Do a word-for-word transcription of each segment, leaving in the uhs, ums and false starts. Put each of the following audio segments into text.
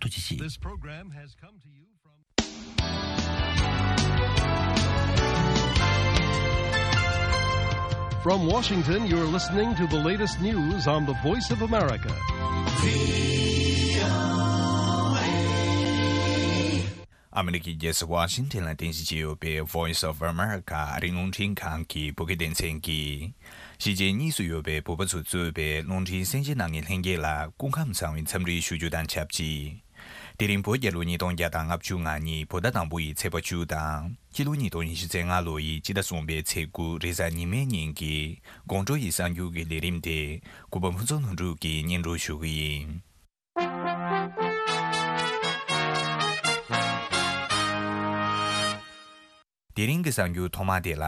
ཐུགས་རྗེ་ཆེ། This program has come to you from From Washington, you're listening to the latest news on the Voice of America. ཨ་མི་རི་ཀའི་རྒྱལ་ས་ཝ་ཤིང་ཊོན་ལ་རྟེན་གཞི་བྱས་ཡོད་པའི་Voice of America ཨ་རིའི་རླུང་འཕྲིན་ཁང་གི་བོད་སྐད་སྡེ་ཚན་གྱིས། གཞིས་བྱེས་གཉིས་སུ་ཡོད་པའི་བོད་པ་ཚོས་གཙོས་པའི་རླུང་འཕྲིན་གསན་བརྗེད་གནང་མཁན་ལྷན་རྒྱས་ལ་སྐུ་ཁམས་བཟང་བའི་འཚམས་འདྲི་ཞུ་རྒྱུ་དང་ཆབས་ཅིག་དེ་རིང་བོད་རྒྱལ་ལོ་ཉིས་སྟོང་བརྒྱ་དང་ལྔ་བཅུ་ང་གཉིས་བོད་ཟླ་དང་པོ་ཡི་ཚེས་པ་བཅུ་དང་། སྤྱི་ལོ་ཉིས་སྟོང་ཉི་ཤུ་རྩ་ལྔ་ལོ་ཡི་སྤྱི་ཟླ་གསུམ་པའི་ཚེས་དགུ་རེས་གཟའ་ཉི་མའི་ཉིན་གྱི་དགོང་དྲོ་ཡི་གསར་འགྱུར་གྱི་ལས་རིམ་དེ་གུས་པ་ཕུན་ཚོགས་ལྷུན་གྲུབ་ཀྱིས་སྙན་སྒྲོན་ཞུ་གི་ཡིན། དེ་རིང་གི་གསར་འགྱུར་ཐོག་མ་དེ་ལ།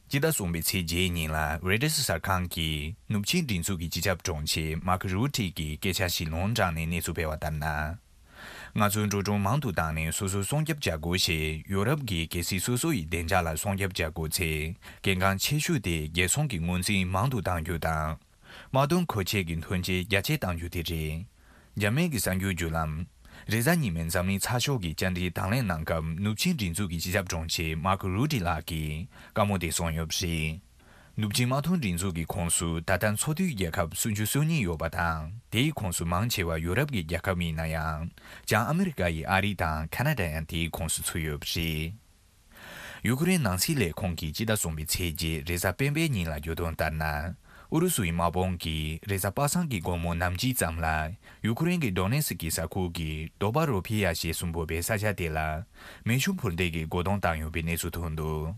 སྤྱི་ཟླ་གསུམ་པའི་ཚེས་བརྒྱད་ཉིན་ལ་རོའི་ཊར་གསར་ཁང་གིས་ནུབ་ཆིངས་སྒྲིག་འཛུགས་ཀྱི་སྤྱི་ཁྱབ་དྲུང་ཆེ་མཱར་ཁོ་རུ་ཊི་གི་སྐད་ཆ་ཞིག་ལུང་དྲངས་ནས་གནས་ཚུལ་སྤེལ་བ་ལྟར་ན། ང་ཚོས་འགྲོ་གྲོན་མང་དུ་བཏང་ནས་སོ་སོའི་སྲུང་སྐྱོབ་བྱ་དགོས་ཞེས་ཡོ་རོབ་ཀྱི་རྒྱལ་སྲིད་སོ་སོ་ཡི་བདེ་འཇགས་ལ་སྲུང་སྐྱོབ་བྱ་དགོས་ཚེ་གལ་འགངས་ཆེ་ཤོས་དེ་རྒྱལ་སྲུང་གི་ངོས་འཛིན་མང་དུ་གཏང་རྒྱུ་དང་། དམག་དོན་མཁོ་ཆས་ཀྱི་ཐོན་སྐྱེད་རྒྱ་སྐྱེད་གཏང་རྒྱུ་དེ་རེད། རྒྱ་མིའི་གསར་འགྱུར་བརྒྱུད་ལམ། རེས་གཟའ་ཉི་མའི་འཛམ་གླིང་ཚགས་ཤོག་གི་བཅར་འདྲིའི་དང་ལེན་གནང་སྐབས་ནུབ་ཆིངས་སྒྲིག་འཛུགས་ཀྱི་སྤྱི་ཁྱབ་དྲུང་ཆེ་མཱར་ཁོ་རུ་ཊི་ལགས་ཀྱིས་བཀའ་མོལ་དེ་གསུངས་ཡོད་པ་རེད། ནུབ་ཆིངས་དམག་དོན་སྒྲིག་འཛུགས་ཀྱི་ཁོངས་སུ་ད་ལྟ་ཚོགས་འཐུས་རྒྱལ་ཁབ་སུམ་ཅུ་སོ་གཉིས་ཡོད་པ་དང་དེའི་ཁོངས་སུ་མང་ཆེ་བ་ཡོ་རོབ་ཀྱི་རྒྱལ་ཁབ་ཡིན་ན་ཡང་། བྱང་ཨ་མི་རི་ཀ་ཡི་ཨ་རི་དང་ཁ་ན་ཌ་ཡང་དེའི་ཁོངས་སུ་ཚུད་ཡོད་པ་རེད། ཡུ་ཁུ་རེན་ནང་སྲིད་ལས་ཁུངས་ཀྱིས་སྤྱི་ཟླ་གསུམ་པའི་ཚེས་བརྒྱད་རེས་གཟའ་སྤེན་པའི་ཉིན་ལ་བརྗོད་དོན་ལྟར་ན། ཨུ་རུ་སུའི་དམག་དཔུང་གིས་རེས་གཟའ་པ་སངས་ཀྱི་དགོང་མོ་ནམ་ཕྱེད་ཙམ་ལ་ཡུ་ཁུ་རེན་གྱི་ཌོ་ནེ་སི་ཀི་ས་ཁུལ་གྱི་རྡོ་པ་རོ་ཕི་ཡ་ཞེས་གསུངས་འབོད་པའི་ས་ཆ་དེ་ལ་མེ་ཤུགས་འཕུར་མདེལ་གྱི་རྒོལ་རྡུང་བཏང་ཡོད་པའི་གནས་ཚུལ་ཐོན་འདུག་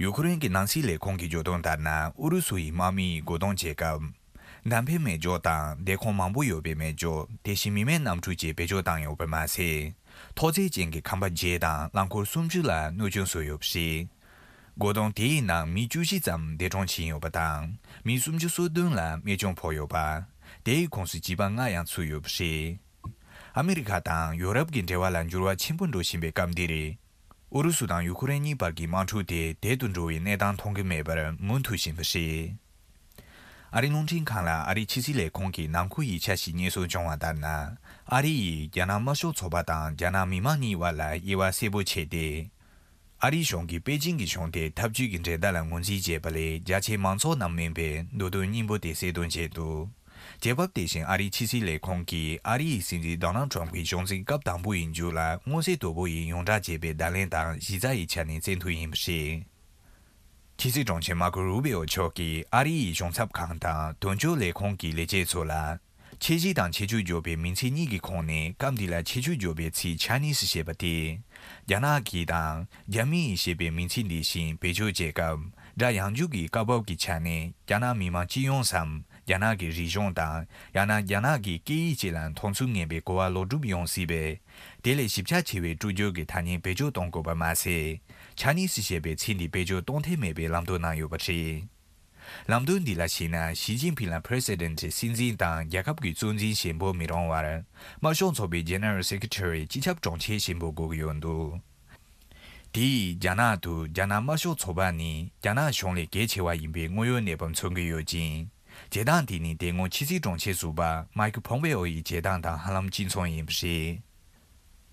ཡུ་ཁུ་རེན་གྱི་ནང་སྲིད་ལས་ཁུངས་ཀྱིས་བརྗོད་དོན་ལྟར་ན་ཨུ་རུ་སུ་ཡི་དམག་མི་ཡིས་རྒོལ་རྡུང་བྱེད་སྐབས། འདམ་བུའི་མེ་སྒྱོགས་དང་སྡེ་ཁང་མང་པོ་ཡོད་པའི་མེ་སྒྱོགས་དེ་བཞིན་མི་མེད་གནམ་གྲུ་བཅས་བེད་སྤྱོད་བཏང་ཡོད་པ་མ་ཟད། ཐོག་བརྩེགས་ཅན་གྱི་ཁང་པ་བརྒྱད་དང་རླངས་འཁོར་སུམ་ཅུ་ལ་གནོད་སྐྱོན་བཟོས་ཡོད་པ་རེད། རྒོལ་རྡུང་དེའི་ནང་མི་བཅུ་བཞི་ཙམ་འདས་གྲོངས་ཕྱིན་ཡོད་པ་དང་མི་སུམ་ཅུ་སོ་བདུན་ལ་རྨས་སྐྱོན་ཕོག་ཡོད་པ། དེའི་ཁོངས་སུ་བྱིས་པ་ལྔ་ཡང་ཚུད་ཡོད་པ་རེད། ཨ་མི་རི་ཁ་དང་ཡོ་རོབ་ཀྱི་འབྲེལ་བ་ལ་འགྱུར་བ་ཆེན་པོ་འགྲོ་བཞིན་པའི་སྐབས་འདིར། ཨུ་རུ་སུ་དང་ཡུ་ཁུ་རེན་གཉིས་བར་གྱི་དམག་འཁྲུག་དེ་དལ་དུ་འགྲོ་བའི་གནས་སྟངས་མཐོང་གི་མེད་པར་མུ་མཐུད་བཞིན་པ་རེད། ཨ་རིའི་རླུང་འཕྲིན་ཁང་ལ་ཨ་རིའི་ཕྱི་སྲིད་ལས་ཁུངས་ཀྱི་ནང་ཁུལ་ཡིག་ཆ་ཞིག་རྙེད་སོར་བྱུང་བ་ལྟར་ན། ཨ་རི་ཡིས་རྒྱ་ནག་དམར་ཤོག་ཚོགས་པ་དང་རྒྱ་ནག་མི་དམངས་གཉིས་བར་ལ་དབྱེ་བ་གསལ་པོ་ཕྱེ་སྟེ། ཨ་རིའི་གཞུང་གིས་པེ་ཅིང་གི་གཞུང་དེ་འཐབ་ཇུས་ཀྱི་འགྲན་ཟླ་ལ་ངོས་འཛིན་བྱས་པ་ལས་རྒྱ་ཆེའི་མང་ཚོགས་རྣམས་མིན་པའི་མདོ་དོན་སྙིང་པོ་དེ་གསལ་སྟོན་བྱས་འདུག་རྒྱལ་བབ་དེ་བཞིན་ཨ་རིའི་ཕྱི་སྲིད་ལས་ཁུངས་ཀྱིས་ཨ་རི་ཡི་སྲིད་འཛིན་ཌོ་ནལ་ཁྲམ་གྱི་གཞུང་འཛིན་སྐབས་དང་པོ་ཡི་མཇུག་ལ་མངོན་གསལ་དོད་པོ་ཡིས་ཡོངས་བསྒྲགས་བྱས་པའི་བརྡ་ལན་དང་གཞི་རྩ་ཡི་ཆ་ནས་བཙན་ཐབས་ཡིན་པ་རེད། ཕྱི་སྲིད་དྲུང་ཆེ་མར་ཀོ་རུ་བི་ཨོ་མཆོག་གིས་ཨ་རི་ཡི་གཞུང་ཚབ་ཁང་དང་དོན་གཅོད་ལས་ཁུངས་ཀྱི་ལས་བྱེད་ཚོ་ལ། ཁྱད་གཞི་དང་ཁྱད་ཆོས་འཇོག་པའི་མིང་ཚིག་གཉིས་ཀྱི་ཁོངས་ནས་སྐབས་འདི་ལ་ཁྱད་ཆོས་འཇོག་པའི་ཚིག་ཆ་ནིས་ཞེས་པ་སྟེ། རྒྱ་ནག་གི་དང་རྒྱ་མི་ཡིས་ཞེས་པའི་མིང་ཚིག་འདི་བཞིན་བེད་སྤྱོད་བྱེད་སྐབས་སྒྲ་ཡངས་འཇུག་གི་སྐབས་བབ་ཀྱི་ཆ་ནས་རྒྱ་ནག་མི་དམངས་སྤྱི་ཡོངས་སམ། རྒྱ་ནག་གི་རིག་གཞུང་དང་ཡང་ན་རྒྱ་ནག་གི་སྐད་ཡིག་བཅས་ལ་མཐོང་ཚུལ་ངན་པའི་གོ་བ་ལོག་སྒྲུབ་ཡོང་སྲིད་པས། དེ་ལས་ཞིབ་ཆ་ཆེ་བའི་སྤྲོ་སྐྱོར་གྱི་ཐ་སྙད་བེད་སྤྱོད་གཏོང་དགོས་པ་མ་ཟད། ཆ་ནིས་ཞེས་པའི་ཚིག་འདི་བེད་སྤྱོད་གཏོང་ཐབས་མེད་པའི་ལམ་སྟོན་གནང་ཡོད་པ་རེད། ལམ་སྟོན་འདི་ལ་གཞིགས་ན་ཞི་ཅིན་ཕིང་ལ་President སྲིད་འཛིན་དང་རྒྱལ་ཁབ་ཀྱི་གཙོ་འཛིན་ཞེས་འབོད་མི་རུང་བར། དམར་ཤོག་ཚོགས་པའི་General Secretary སྤྱི་ཁྱབ་དྲུང་ཆེ་ཞེས་འབོད་དགོས་ཀྱི་ཡོད་འདུག་དེ་ཡིས་རྒྱ་ནག་ཏུ་རྒྱ་ནག་དམར་ཤོག་ཚོགས་པ་ནི་རྒྱ་ནག་གཞུང་ལས་གལ་ཆེ་བ་ཡིན་པའི་དངོས་ཡོད་གནས་བབ་མཚོན་གྱི་ཡོད་ཅིང་། བྱེད་སྟངས་དེ་ནི་དེ་སྔོན་ཕྱི་སྲིད་དྲུང་ཆེ་ཟུར་པ་Mike Pompeo ཡི་བྱེད་སྟངས་དང་ཧ་ལམ་གཅིག་མཚུངས་ཡིན་པ་རེད།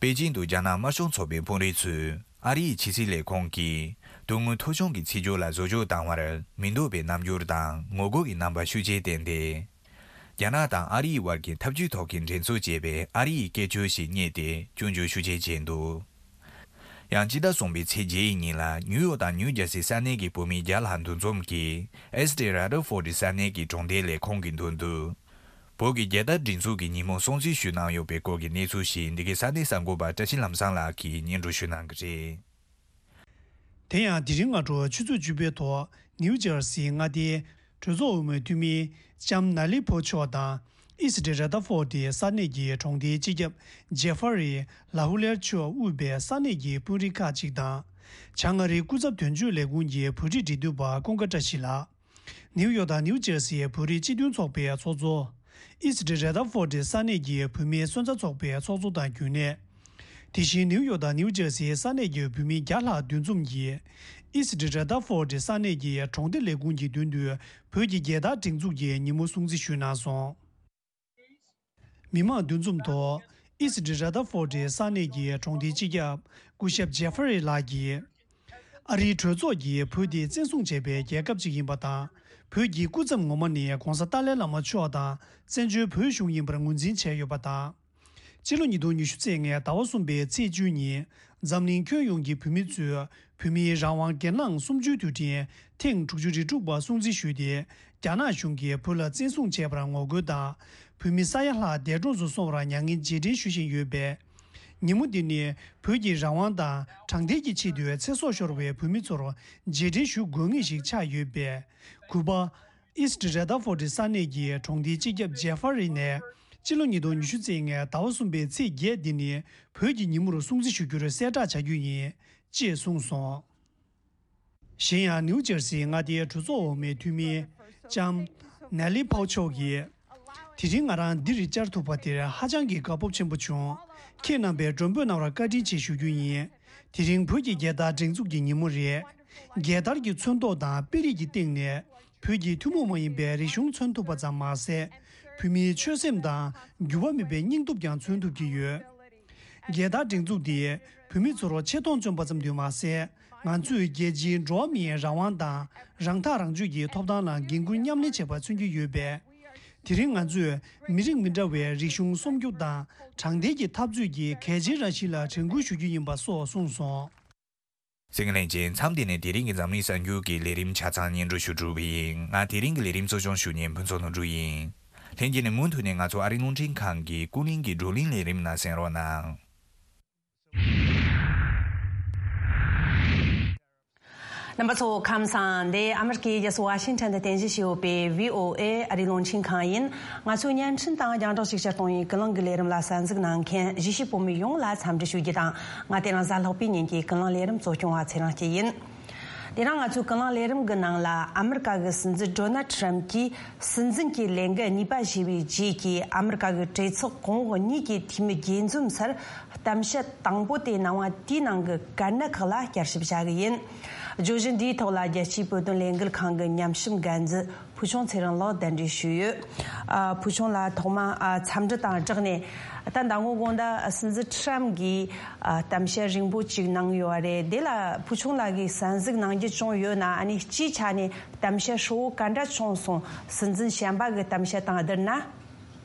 པེ་ཅིང་དུ་རྒྱ་ནག་དམར་ཤོག་ཚོགས་པའི་དཔོན་རིགས་ཚོས་ཨ་རིའི་ཕྱི་སྲིད་ལས་ཁུངས་ཀྱིས་དོན་དངོས་ཐོ་གཞུང་གི་ཚིག་སྦྱོར་ལ་བཟོ་བཅོས་བཏང་བར་མི་འདོད་པའི་རྣམ་འགྱུར་དང་ངོ་རྒོལ་གྱི་རྣམ་པ་ཤུགས་ཆེར་བསྟན་ཏེ། རྒྱ་ནག་དང་ཨ་རིའི་དབར་གྱི་འཐབ་ཇུས་ཐོག་གི་འགྲན་རྩོད་ཅེས་པའི་ཨ་རིའི་སྐད་ཅོར་ཞིག་རྙེད་དེ་སྐྱོན་བརྗོད་ཤུགས་ཆེ་བྱས་འདུག་ཡང་ཕྱི་ཟླ་གསུམ་པའི་ཚེས་བརྒྱད་ཡི་ཉིན་ལ་ནིའུ་ཡོག་དང་ནིའུ་ཇར་སི་ས་གནས་ཀྱི་བོད་མི་བརྒྱ་ལྷག་འདུ་འཛོམས་ཀྱིས་ཨེ་སི་ཏི་ར་དར་ཕོར་ཌི་ས་གནས་ཀྱི་གྲོང་སྡེ་ལས་ཁུངས་ཀྱི་མདུན་དུ། བོད་ཀྱི་རྒྱལ་དར་སྒྲེང་འཛུགས་ཀྱི་ཉིན་མོ་སྲུང་བརྩི་ཞུས་གནང་ཡོད་པའི་སྐོར་གྱི་གནས་ཚུལ་ཞིག་འདི་གའི་ས་གནས་གསར་འགོད་པ་བཀྲ་ཤིས་ལྷ་བཟང་ལགས་ཀྱིས་སྙན་སྒྲོན་ཞུ་གནང་གི་རེད། དེ་ཡང་དེ་རིང་སྔ་དྲོ་ཆུ་ཚོད་བཅུ་པའི་ཐོག་ནིའུ་ཇར་སིའི་མངའ་སྡེའི་གྲོས་ཚོགས་འོས་མིའི་འཐུས་མི་ལྕམ་ན་ལི་ཕོ་མཆོག་དང་ཨི་སི་ཏི་ར་དར་ཕོར་ཌི་ས་གནས་ཀྱི་གྲོང་སྡེའི་སྤྱི་ཁྱབ་ཇེ་ཧྥ་རི་ལ་ཧུ་ལེར་མཆོག་དབུས་པའི་ས་གནས་ཀྱི་དཔོན་རིགས་ཁག་ཅིག་དང་། བྱང་ཨ་རིའི་སྐུ་ཚབ་དོན་གཅོད་ལས་ཁུངས་ཀྱི་བོད་རིགས་འབྲེལ་མཐུད་པ་ཀུན་དགའ་བཀྲ་ཤིས་ལགས། ནིའུ་ཡོག་དང་ནིའུ་ཇར་སིའི་བོད་རིགས་སྤྱི་མཐུན་ཚོགས་པའི་ཚོགས་གཙོ། ཨི་སི་ཏི་ར་དར་ཕོར་ཌི་ས་གནས་ཀྱི་བོད་མིའི་སོན་རྩ་ཚོགས་པའི་ཚོགས་གཙོ་དང་རྒྱུན་ལས། དེ་བཞིན་ནིའུ་ཡོག་དང་ནིའུ་ཇར་སིའི་ས་གནས་ཀྱི་བོད་མི་བརྒྱ་ལྷག་འདུ་འཛོམས་ཀྱིས། ཨི་སི་ཏི་ར་དར་ཕོར་ཌི་ས་གནས་ཀྱི་གྲོང་སྡེ་ལས་ཁུངས་ཀྱི་མདུན་དུ་བོད་ཀྱི་རྒྱལ་དར་སྒྲེང་འཛུགས་ཀྱི་ཉིན་མོ་སྲུང་བརྩི་ཞུས་གནང་སོང་། མི་མང་འདུ་འཛོམས་ཐོག་ཨིས་ཊི་ར་དར་ཕོར་ཌི་ས་གནས་ཀྱི་གྲོང་སྡེའི་སྤྱི་ཁྱབ་སྐུ་ཞབས་ཇེ་ཧྥ་རི་ལགས་ཀྱིས། ཨ་རིའི་གྲོས་ཚོགས་ཀྱིས་བོད་དེ་བཙན་བཟུང་བྱས་པའི་རྒྱལ་ཁབ་ཅིག་ཡིན་པ་དང་། བོད་ཀྱི་སྐུ་མཚམས་ངོ་མ་ནི་༧གོང་ས་ཏཱ་ལའི་བླ་མ་མཆོག་དང་བཙན་བྱོལ་བོད་གཞུང་ཡིན་པར་ངོས་འཛིན་བྱས་ཡོད་པ་དང་། སྤྱི་ལོ་ཉིས་སྟོང་ཉི་ཤུ་རྩ་ལྔའི་ཟླ་བ་གསུམ་པའི་ཚེས་བཅུ་ཉིན། འཛམ་གླིང་ཁྱོན་ཡོངས་ཀྱི་བོད་མི་ཚོས་བོད་མིའི་རང་དབང་སྒེར་ལངས་གསུམ་བཅུའི་དུས་དྲན་ཐེངས་དྲུག་ཅུ་རེ་དྲུག་པ་སྲུང་བརྩི་ཞུས་ཏེ། རྒྱ་ནག་གཞུང་གིས་བོད་ལ་བཙན་བཟུང་བྱས་པར་ངོ་རྒོལ་དང་། བོད་མི་ས་ཡ་ལྷག་འདས་གྲོངས་སུ་སོང་བར་མྱ་ངན་རྗེས་དྲན་ཞུ་བཞིན་ཡོད་པས། ཉིན་མོ་འདི་ནི་བོད་ཀྱི་རང་དབང་དང་དྲང་བདེན་གྱི་ཆེད་དུ་ཚེ་སྲོག་ཤོར་བའི་བོད་མི་ཚོར་རྗེས་དྲན་ཞུ་དགོས་ངེས་ཤིག་ཆགས་ཡོད་པས། གུས་པ། ཨིས་ཊི་ར་དར་ཕོར་ཌི་ས་གནས་ཀྱི་གྲོང་སྡེའི་སྤྱི་ཁྱབ་ཇེ་ཧྥ་རི་ནས། སྤྱི་ལོ་ཉིས་སྟོང་ཉི་ཤུ་རྩ་ལྔའི་ཟླ་བ་གསུམ་པའི་ཚེས་བརྒྱད་འདི་ནི་བོད་ཀྱི་ཉིན་མོར་སྲུང་བརྩི་ཞུ་རྒྱུར་གསལ་བསྒྲགས་བྱ་རྒྱུ་ཡིན། ཅེས་གསུངས་སོང་། གཞན་ཡང་ནིའུ་ཇར་སིའི་མངའ་སྡེའི་གྲོས་ཚོགས་འོག་མའི་འཐུས་མི་ལྕམ་ནེ་ལི་ཕའུ་མཆོག་གིས། དེ་རིང་ང་རང་འདིར་བཅར་ཐུབ་པ་དེར་ཧ་ཅང་གི་དགའ་སྤོབས་ཆེན་པོ་བྱུང་། ཁྱེད་རྣམ་པས་མགྲོན་འབོད་གནང་བར་བཀའ་དྲིན་ཆེ་ཞུ་རྒྱུ་ཡིན། དེ་རིང་བོད་ཀྱི་རྒྱལ་དར་སྒྲེང་འཛུགས་ཀྱི་ཉིན་མོ་རེད། རྒྱལ་དར་གྱི་ཚོན་མདོག་དང་དཔེ་རིས་ཀྱི་སྟེང་ནས་བོད་ཀྱི་ཐུན་མོང་མ་ཡིན་པའི་རིག་གཞུང་མཚོན་ཐུབ་པ་ཙམ་མ་ཟད། བོད་མིའི་ཆོད་སེམས་དང་འགྱུར་བ་མེད་པའི་སྙིང་སྟོབས་ཀྱང་མཚོན་ཐུབ་ཀྱི་ཡོད། རྒྱལ་དར་སྒྲེང་འཛུགས་འདིས་བོད་མི་ཚོར་ཆེ་མཐོང་བཅངས་པ་ཙམ་དུ་མ་ཟད། ང་ཚོས་རྒྱལ་སྤྱིའི་འགྲོ་བ་མིའི་རང་དབང་དང་རང་ཐག་རང་གཅོད་ཀྱི་ཐོབ་ཐང་ལ་འགན་འཁུར་མཉམ་ལེན་བྱས་པ་མཚོན་གྱི་ཡོད་པས། དེ་རིང་ང་ཚོས་མི་རིགས་མི་འདྲ་བའི་རིག་གཞུང་སྲུང་སྐྱོབ་དང་དྲང་བདེན་གྱི་འཐབ་རྩོད་ཀྱི་གལ་ཆེའི་རང་བཞིན་ལ་དྲན་སྐུལ་ཞུ་རྒྱུ་ཡིན་པ་སོགས་གསུངས་སོང་། གསན་མཁན་ལྷན་རྒྱས། མཚམས་འདི་ནས་དེ་རིང་གི་འཛམ་གླིང་གསར་འགྱུར་གྱི་ལས་རིམ་ཆ་ཚང་སྙན་སྒྲོན་ཞུ་གྲུབ་པ་ཡིན། ང་དེ་རིང་གི་ལས་རིམ་གཙོ་སྐྱོང་ཞུ་མཁན་ཕུན་ཚོགས་ནོར་བུ་ཡིན། ལྷན་རྒྱས་ནས་མུ་མཐུད་ནས་ང་ཚོ་ཨ་རིའི་རླུང་འཕྲིན་ཁང་གི་ཀུན་གླེང་གི་བགྲོ་གླེང་ལས་རིམ་ནང་གསན་རོགས་གནང་། རྣམ་པ་ཚོ་ཁམས་བཟང་། འདི་ཨ་མི་རི་ཀའི་རྒྱལ་ས་ཝ་ཤིང་ཊོན་དུ་རྟེན་གཞི་བྱས་ཡོད་པའི་བྷི་ཨོ་ཨེ་ཨ་རིའི་རླུང་འཕྲིན་ཁང་ཡིན། ང་ཚོའི་བརྙན་འཕྲིན་དང་རྒྱང་བསྒྲགས་ཅིག་ཅར་གཏོང་བའི་ཀུན་གླེང་གི་ལས་རིམ་ལ་གསན་གཟིགས་གནང་མཁན་གཞིས་བྱེས་བོད་མི་ཡོངས་ལ་འཚམས་འདྲི་ཞུ་རྒྱུ་དང་། ང་དེ་རིང་གཟའ་ལྷག་པའི་ཉིན་གྱི་ཀུན་གླེང་ལས་རིམ་གཙོ་སྐྱོང་བ་ཚེ་རིང་སྐྱིད་ཡིན། དེ་རིང་ང་ཚོའི་ཀུན་གླེང་ལས་རིམ་གྱི་ནང་ལ་ཨ་མི་རི་ཀ་གི་སྲིད་འཛིན་ཌོ་ནལ་ཊམ་གྱིས་སྲིད་འཛིན་གྱི་ལས་འགུལ་གཉིས་པ་བཞེས་པའི་རྗེས་ཀྱི་ཨ་མི་རི་ཀ་གི་གྲོས་ཚོགས་གོང་འོག་གཉིས་ཀྱི་འཐུས་མི་དགྱེས་འཛོམས་སར། གཏམ་བཤད་དང་པོ་དེ་གནང་བ་དེའི་ནང་གི་བཀའ་གནད་ཁག་ལ་བསྐྱར་ཞིབ་བྱ་གི་ཡིན། བརྗོད་གཞི་འདིའི་ཐོག་ལ་རྒྱལ་སྤྱིའི་བོད་དོན་ལས་འགུལ་ཁང་གི་ཉམས་ཞིབ་འགན་འཛིན་ཕུལ་བྱུང་ཚེ་རིང་ལགས་གདན་འདྲེན་ཞུས་ཡོད། ཨ། ཕུལ་བྱུང་ལགས་ཐོག་མ་ཨ་འཚམས་འདྲི་དང་སྦྲགས་ནས། ད་མདང་དགོང་དགོང་དག་སྲིད་འཛིན་ཊམ་གྱིས་ཨ་གཏམ་བཤད་རིང་པོ་ཅིག་གནང་ཡོད་རེད། དེ་ལ་ཕུལ་བྱུང་ལགས་ཀྱིས་གསན་གཟིགས་གནང་རྒྱུ་བྱུང་ཡོད་ན། ཨ་ནི་སྤྱིའི་ཆ་ནས་གཏམ་བཤད་ཧྲིལ་བོ་ག་འདྲ་བྱུང་སོང་། སྲིད་འཛིན་གཞན་པ་གི་གཏམ་བཤད་དང་བསྡུར་ན།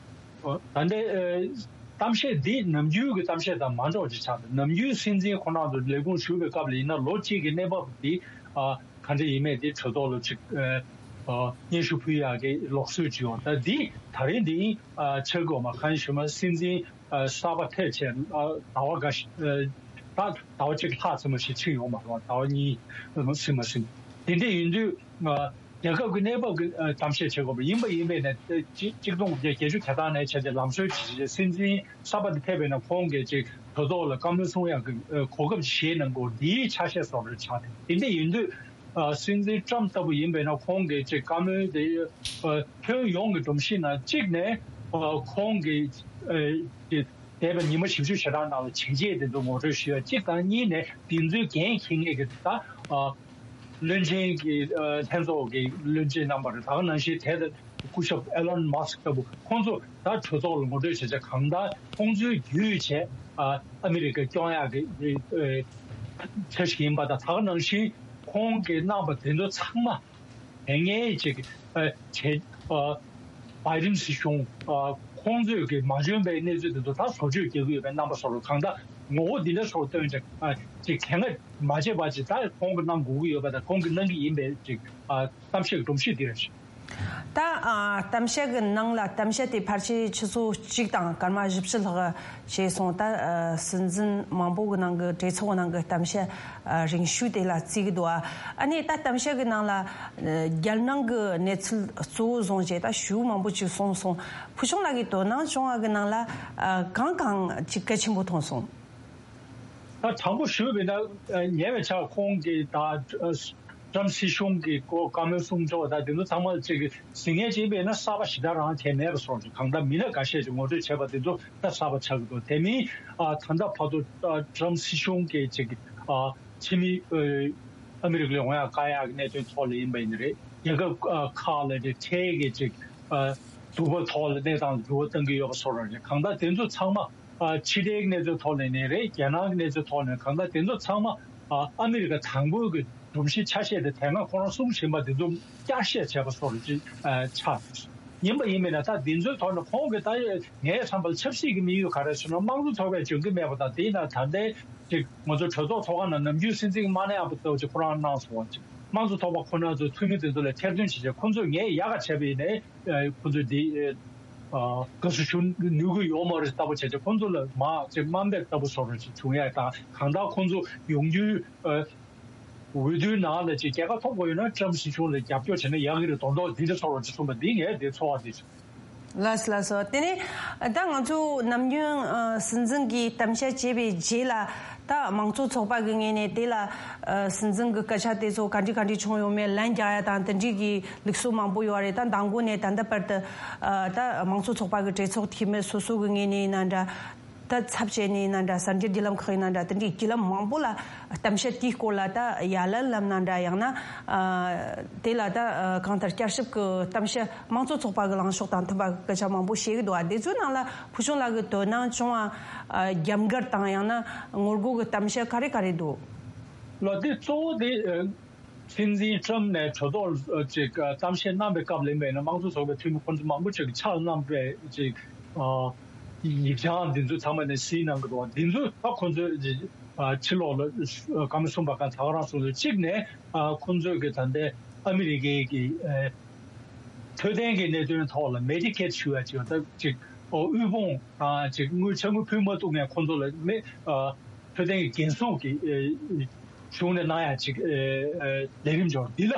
ད་ལྟའི་ཨ་གཏམ་བཤད་འདི་ནམ་རྒྱུན་གྱི་གཏམ་བཤད་དང་མ་འདྲ་བ་ཅིག་ཆགས་འདུག་ནམ་རྒྱུན་སྲིད་འཛིན་ཁོ་རང་ཚོ་ལས་ཁུངས་ཞུགས་པའི་སྐབས་ལ་ཡིན་ན་ལོ་གཅིག་གི་གནས་བབ་འདི་ཨ་ག་འདྲ་ཡིན་མིན་འདི་གྲོས་ཚོགས་ལ་ཅིག་ཨ་ཨ་སྙན་ཞུ་ཕུལ་ཡག་གི་ལུགས་སྲོལ་ཅིག་ཡོད། ད་འདི་ད་རེས་འདི་ཨ་ཆགས་དགོས་མ་གང་ཞུ་མ་སྲིད་འཛིན་ཨ་གསར་པ་ཐད་བྱས་ཨ་ཟླ་བ་འགའ་ཞིག་ཨ་ད་ཟླ་བ་གཅིག་ལྷག་ཙམ་ཞིག་ཕྱིན་ཡོད་མ་རེད་པ། ཟླ་བ་གཉིས་ཟིན་མ་ཟིན། དེ་འདྲ་ཡིན་དུས་ཨ་རྒྱལ་ཁབ་ཀྱི་གནས་བབ་ཀྱི་ཨ་གཏམ་བཤད་བྱེད་དགོས་པ་ཡིན་པ་ཡིན་པས་ན། ཨ་གཅིག་གཅིག་སྟོང་དགུ་བརྒྱ་བརྒྱད་ཅུ་གྱ་གྲངས་ནས་བྱས་ཏེ་ལམ་སྲོལ་ཇི་བཞིན་སྲིད་འཛིན་གསར་པ་དེ་ཕེབས་པས་ན་ཁོང་གིས་ཅིག་གྲོས་ཚོགས་ལ་བཀའ་མོལ་གསུང་ཡག་གི་ཨ་གོ་སྐབས་ཤིག་བཞེས་གནང་དགོས། འདིའི་ཆ་ཤས་སོགས་རེད་ཆགས་ཏེ། དེ་འདྲ་ཡིན་དུས་ཨ་སྲིད་འཛིན་ཊམ་ལྟ་བུ་ཡིན་པས་ན་ཁོང་གིས་ཅིག་བཀའ་མོལ་དེ་ཨ་ཁྱོན་ཡོངས་ཀྱི་སྒྲོམ་གཞི་ནང་གཅིག་ནས་ཨ་ཁོང་གིས་ཨ་ཅིག་འདས་པའི་ཉི་མ་བཞི་བཅུ་ཞེ་གྲངས་ནང་ལ་བྱས་རྗེས་དེ་ཚོ་ངོ་སྤྲོད་ཞུ་ཡ་གཅིག་དང་། གཉིས་ནས་དེ་ཚོའི་འགན་འཁྱེར་མཁན་གྱི་ད་ཨ་བློན་ཆེན་གྱི་ཨ་ལྷན་ཚོགས་ཀྱི་བློན་ཆེན་རྣམ་པ་རེད། ད་ག་ནང་བཞིན་དེ་ལྟ་སྐུ་ཞབས་ཨེ་ལོན་མཱ་སི་ཀི་ལྟ་བུ་ཁོང་ཚོ་ད་གྲོས་ཚོགས་ལ་ངོ་སྤྲོད་བྱས་བྱས་གང་ལྟར་ཁོང་ཚོའི་བརྒྱུད་བྱས་ཨ་ཨ་མི་རི་ཀ་སྐྱོང་ཡག་གི་ཨ་ཆ་ཞིག་ཡིན་པ་དང་། ད་ག་ནང་བཞིན་ཁོང་གིས་གནང་པ་དེ་ཚོ་ཚང་མ། དེ་སྔའི་ཅིག་ཨ་བྱས་ཨ་བའི་ཌེན་སྲིད་གཞུང་ཨ་ཁོང་ཚོས་ཀྱི་མ་འཇོན་པའི་གནས་ཚུལ་དེ་ཚོ་ད་བཟོ་བཅོས་རྒྱག་གི་ཡོད་པའི་རྣམ་པ་སོགས་ལ་གང་ལྟར་ངོ་བོ་འདི་འདྲ་སོགས་སྟོན་ཅིག་ཨ་ཅིག་གལ་ང་མ་བྱས་པ་ཅིག་ད་ཁོང་གིས་གནང་དགོས་ཀྱི་ཡོད་པ་དང་། ཁོང་གིས་གནང་གི་ཡིན་པའི་ཅིག་ཨ་གཏམ་བཤད་སྒྲོམ་གཞི་འདི་རེད། ད་ཨ་གཏམ་བཤད་ཀྱི་ནང་ལ་གཏམ་བཤད་དེ་ཕལ་ཆེར་ཆུ་ཚོད་གཅིག་དང་སྐར་མ་བཞི་བཅུ་ལྷག་བྱས་སོང་། ད་ཨ་སྲིད་འཛིན་མང་པོ་གི་ནང་གི་གྲོས་ཚོགས་ནང་གི་གཏམ་བཤད་ཨ་རིང་ཤོས་དེ་ལ་བརྩི་གི་འདུག་ཨ་ནི་ད་གཏམ་བཤད་ཀྱི་ནང་ལ་ཨ་རྒྱལ་ནང་གི་གནས་ཚུལ་གཙོ་བོ་བཟུང་བྱས་ད་ཞུ་མང་པོ་ཅིག་གསུངས་སོང་། ཕུལ་བྱུང་ལགས་ཀྱིས་དོ་སྣང་བྱུང་བ་གི་ནང་ལ་ཨ་གང་གང་ཅིག་གལ་ཆེན་པོ་མཐོང་སོང་། ད་དྲང་པོ་ཞུས་པ་ཡིན་ན་ཉེ་བའི་ཆར་ཁོང་གིས་ད་ཨ་ཊྲམ་སྲིད་གཞུང་གི་སྐོར་བཀའ་མོལ་གསུང་ཕྱོགས་ད་དེ་ཚོ་ཚང་མ་ཅིག་གཟིགས་མཁན་ཅིག་ཡིན་པ་ཡིན་ན་གསར་པ་ཞེ་དྲག་རང་དེ་མེད་པ་བཟོ་འདྲ། གང་ལྟར་མི་སྣ་འགའ་ཤས་ཀྱིས་ངོ་སྤྲོད་བྱས་པ་དེ་ཚོ་ད་གསར་པ་ཆགས་ཀྱི་འདུག་དེ་མིན་ཨ་ད་ལྟ་བར་དུ་ཨ་ཊྲམ་སྲིད་གཞུང་གིས་ཅིག་ཨ་ཕྱི་མི་ཨ་ཨ་མི་རི་ཀ་ལ་ཡོང་ཡག་བཀག་ཡག་གི་གནད་དོན་ཐོག་ལ་ཡིན་པ་ཡིན་ན་རེད། རྒྱལ་ཁབ་ཨ་ཁག་ལ་རེད། ཁྲལ་གྱི་ཅིག་ཨ་འཛུགས་པ་ཐོག་ལ་གནས་སྟངས་ལ་འགྱུར་བ་གཏང་གི་ཡོད་པ་བཟོ་འདྲ་རེད། གང་ལྟར་དེ་ཚོ་ཚང་མ། ཕྱི་འབྲེལ་གྱི་གནས་ཚུལ་ཐོག་ནས་ནི་རེད། རྒྱལ་ནང་གི་གནས་ཚུལ་ཐོག་ནས་གང་ལྟར་དེ་ཚོ་ཚང་མ་ཨ་ཨ་མི་རི་ཀ་དང་པོའི་གི་སྒྲོམ་གཞི་ཆ་ཤས་དེ་དེ་སྔ་ཁོ་རང་གསུངས་བཞིན་པ་དེ་ཚོ་བསྐྱར་བཤད་བྱས་པ་སོགས་ཅིག་ཆགས་ཡིན་པ་ཡིན་མིན་ན། ད་དེ་ཚོའི་ཐོག་ནས་ཁོང་གིས་ད་ངའི་བསམ་པར་ཆབ་སྲིད་ཀྱི་དམིགས་ཡུལ་ག་རེ་ཟེར་ན། དམངས་གཙོ་ཚོགས་པས་འཇོན་གྱི་མེད་པ་དང་། དེས་ན་ད་ལྟའི་ཅིག་ང་ཚོ་གྲོས་ཚོགས་ཚོགས་ཁང་ནང་ནམ་རྒྱུན་སྲིད་འཛིན་མ་ནེ་ཨ་པོ་ཚོ་ཅིག་ཁོ་རང་གནང་སོང་བ་ཅིག། དམངས་གཙོ་ཚོགས་པ་ཁོ་ན་ཚོ་འཐུས་མི་དེ་ཚོ་ལ་ཐེར་འདོན་བྱེད་ཆེད་ཁོ་ཚོས་ངས་ཡག་ག་བྱས་པ་ཡིན་ནའི་ཁོ་ཚོས་འདི་དགའ་བསུ་ཞུ་ནུས་ཀྱི་ཡོད་མ་རེད་ལྟ་བུ་བྱས་ཆེད་ཁོ་ཚོ་ལ་མ་ཅིག་དམའ་འབེབས་ལྟ་བུ་བཟོ་འདྲ་ཅིག་བྱུང་ཡ་དང་། གང་ལྟར་ཁོ་ཚོ་ཡོང་རྒྱུའི་འོས་བསྡུའི་ནང་ལ་ཅིག་རྒྱལ་ཁ་ཐོབ་དགོས་ཡོད་ན་ཊམ་སྲིད་གཞུང་ལ་རྒྱབ་སྐྱོར་བྱས་ན་ཡག་གི་རེད་མདོག་མདོག་འདི་འདྲ་བཟོ་འདྲ་ཅིག་གསུངས་པ་འདི་ངས་འདི་ཚོར་བ་འདི་བྱུང་། ལགས་སོ་ལགས་སོ། དེ་ནས་ད་ང་ཚོ་ནམ་རྒྱུན་ཨ་སྲིད་འཛིན་གྱིས་གཏམ་བཤད་བྱས་པའི་རྗེས་ལ་ད་དམངས་གཙོ་ཚོགས་པ་གི་ངོས་ནས་དེ་ལ་ཨ་སྲིད་འཛིན་གྱི་སྐད་ཆ་དེ་ཚོ་ག་འདྲ་ག་འདྲ་བྱུང་ཡོད་མེད་ལན་རྒྱག་ཡ་དང་དེ་འདྲའི་གི་ལུགས་སྲོལ་མང་པོ་ཡོད་རེད། ད་མདང་དགོང་ནས་ད་ལྟ་བར་དུ་ཨ་ད་དམངས་གཙོ་ཚོགས་པ་གི་གྲོས་ཚོགས་འཐུས་མི་སོ་སོ་གི་ངོས་ནས་ཡིན་ན་འདྲ། ད་ཚབ་བྱས་ནས་ཡིན་ན་འདྲ། གསར་འགྱུར་བརྒྱུད་ལམ་ཁག་ཡིན་ན་འདྲ། དེ་འདྲའི་བརྒྱུད་ལམ་མང་པོ་ལ་གཏམ་བཤད་དེའི་སྐོར་ལ་ད་ཡ་ལན་ལབ་ན་འདྲ། ཡང་ན་ཨ་དེ་ལ་ད་ཨ་གང་ལྟར་བསྐྱར་ཞིབ་ཀྱི་གཏམ་བཤད་དམངས་གཙོ་ཚོགས་པ་གི་ལངས་ཕྱོགས་དང་མཐུན་པ་གི་སྐད་ཆ་མང་པོ་བཤད་ཀྱི་འདུག་ཨ། དེ་ཚོའི་ནང་ལ་ཕུལ་བྱུང་ལགས་ཀྱི་དོ་སྣང་བྱུང་བ་ཨ་རྒྱབ་འགལ་དང་ཡང་ན་ངོ་རྒོལ་གྱི་གཏམ་བཤད་ག་རེ་ག་རེ་འདུག། ལགས། དེ་གཙོ་བོ་དེ་ཨ་སྲིད་འཛིན་ཊམ་ནས་གྲོས་ཚོགས་ཨ་ཅིག་ཨ་གཏམ་བཤད་གནང་པའི་སྐབས་ལ་ཡིན་པས་ན་དམངས་གཙོ་ཚོགས་པའི་འཐུས་མི་ཁོང་ཚོ་མང་པོ་ཅིག་ཕྱག་གནང་པའི་ཅིག་ཨ་ཡིག་ཆ་འདི་ཚོ་ཚང་མ་ནས་གཟིགས་གནང་གི་འདུག་བ། འདི་ཚོ་ད་ཁོང་ཚོས་ཅིག་ཨ་ཕྱི་ལོགས་ལ་ཨ་བཀའ་མོལ་གསུངས་པ་གང་ད་ག་རང་སོང་ཚོ་གཅིག་ནས་ཨ་ཁོང་ཚོས་ཀྱི་ད་ལྟའི་ཨ་མི་རི་ཀའི་གི་ཨ་འཕྲོད་བསྟེན་གྱི་གནད་དོན་ཐོག་ལ་མེ་ཌི་ཀེཌ་ཞུ་ཡ་ཅིག་ད་ཅིག་ཨོ་དབུལ་ཕོངས་དང་ཅིག་དངུལ་ཆ་དངུལ་ཕུལ་མ་ཐུབ་མཁན་ཁོང་ཚོ་ལ་མེ་ཨ་འཕྲོད་བསྟེན་གྱི་འགན་སྲུང་གི་ཨེ་གཞུང་ནས་གནང་ཡ་ཅིག་ཨེ་ཨེ་ལས་རིམ་འབྱོར་འདི་ལ་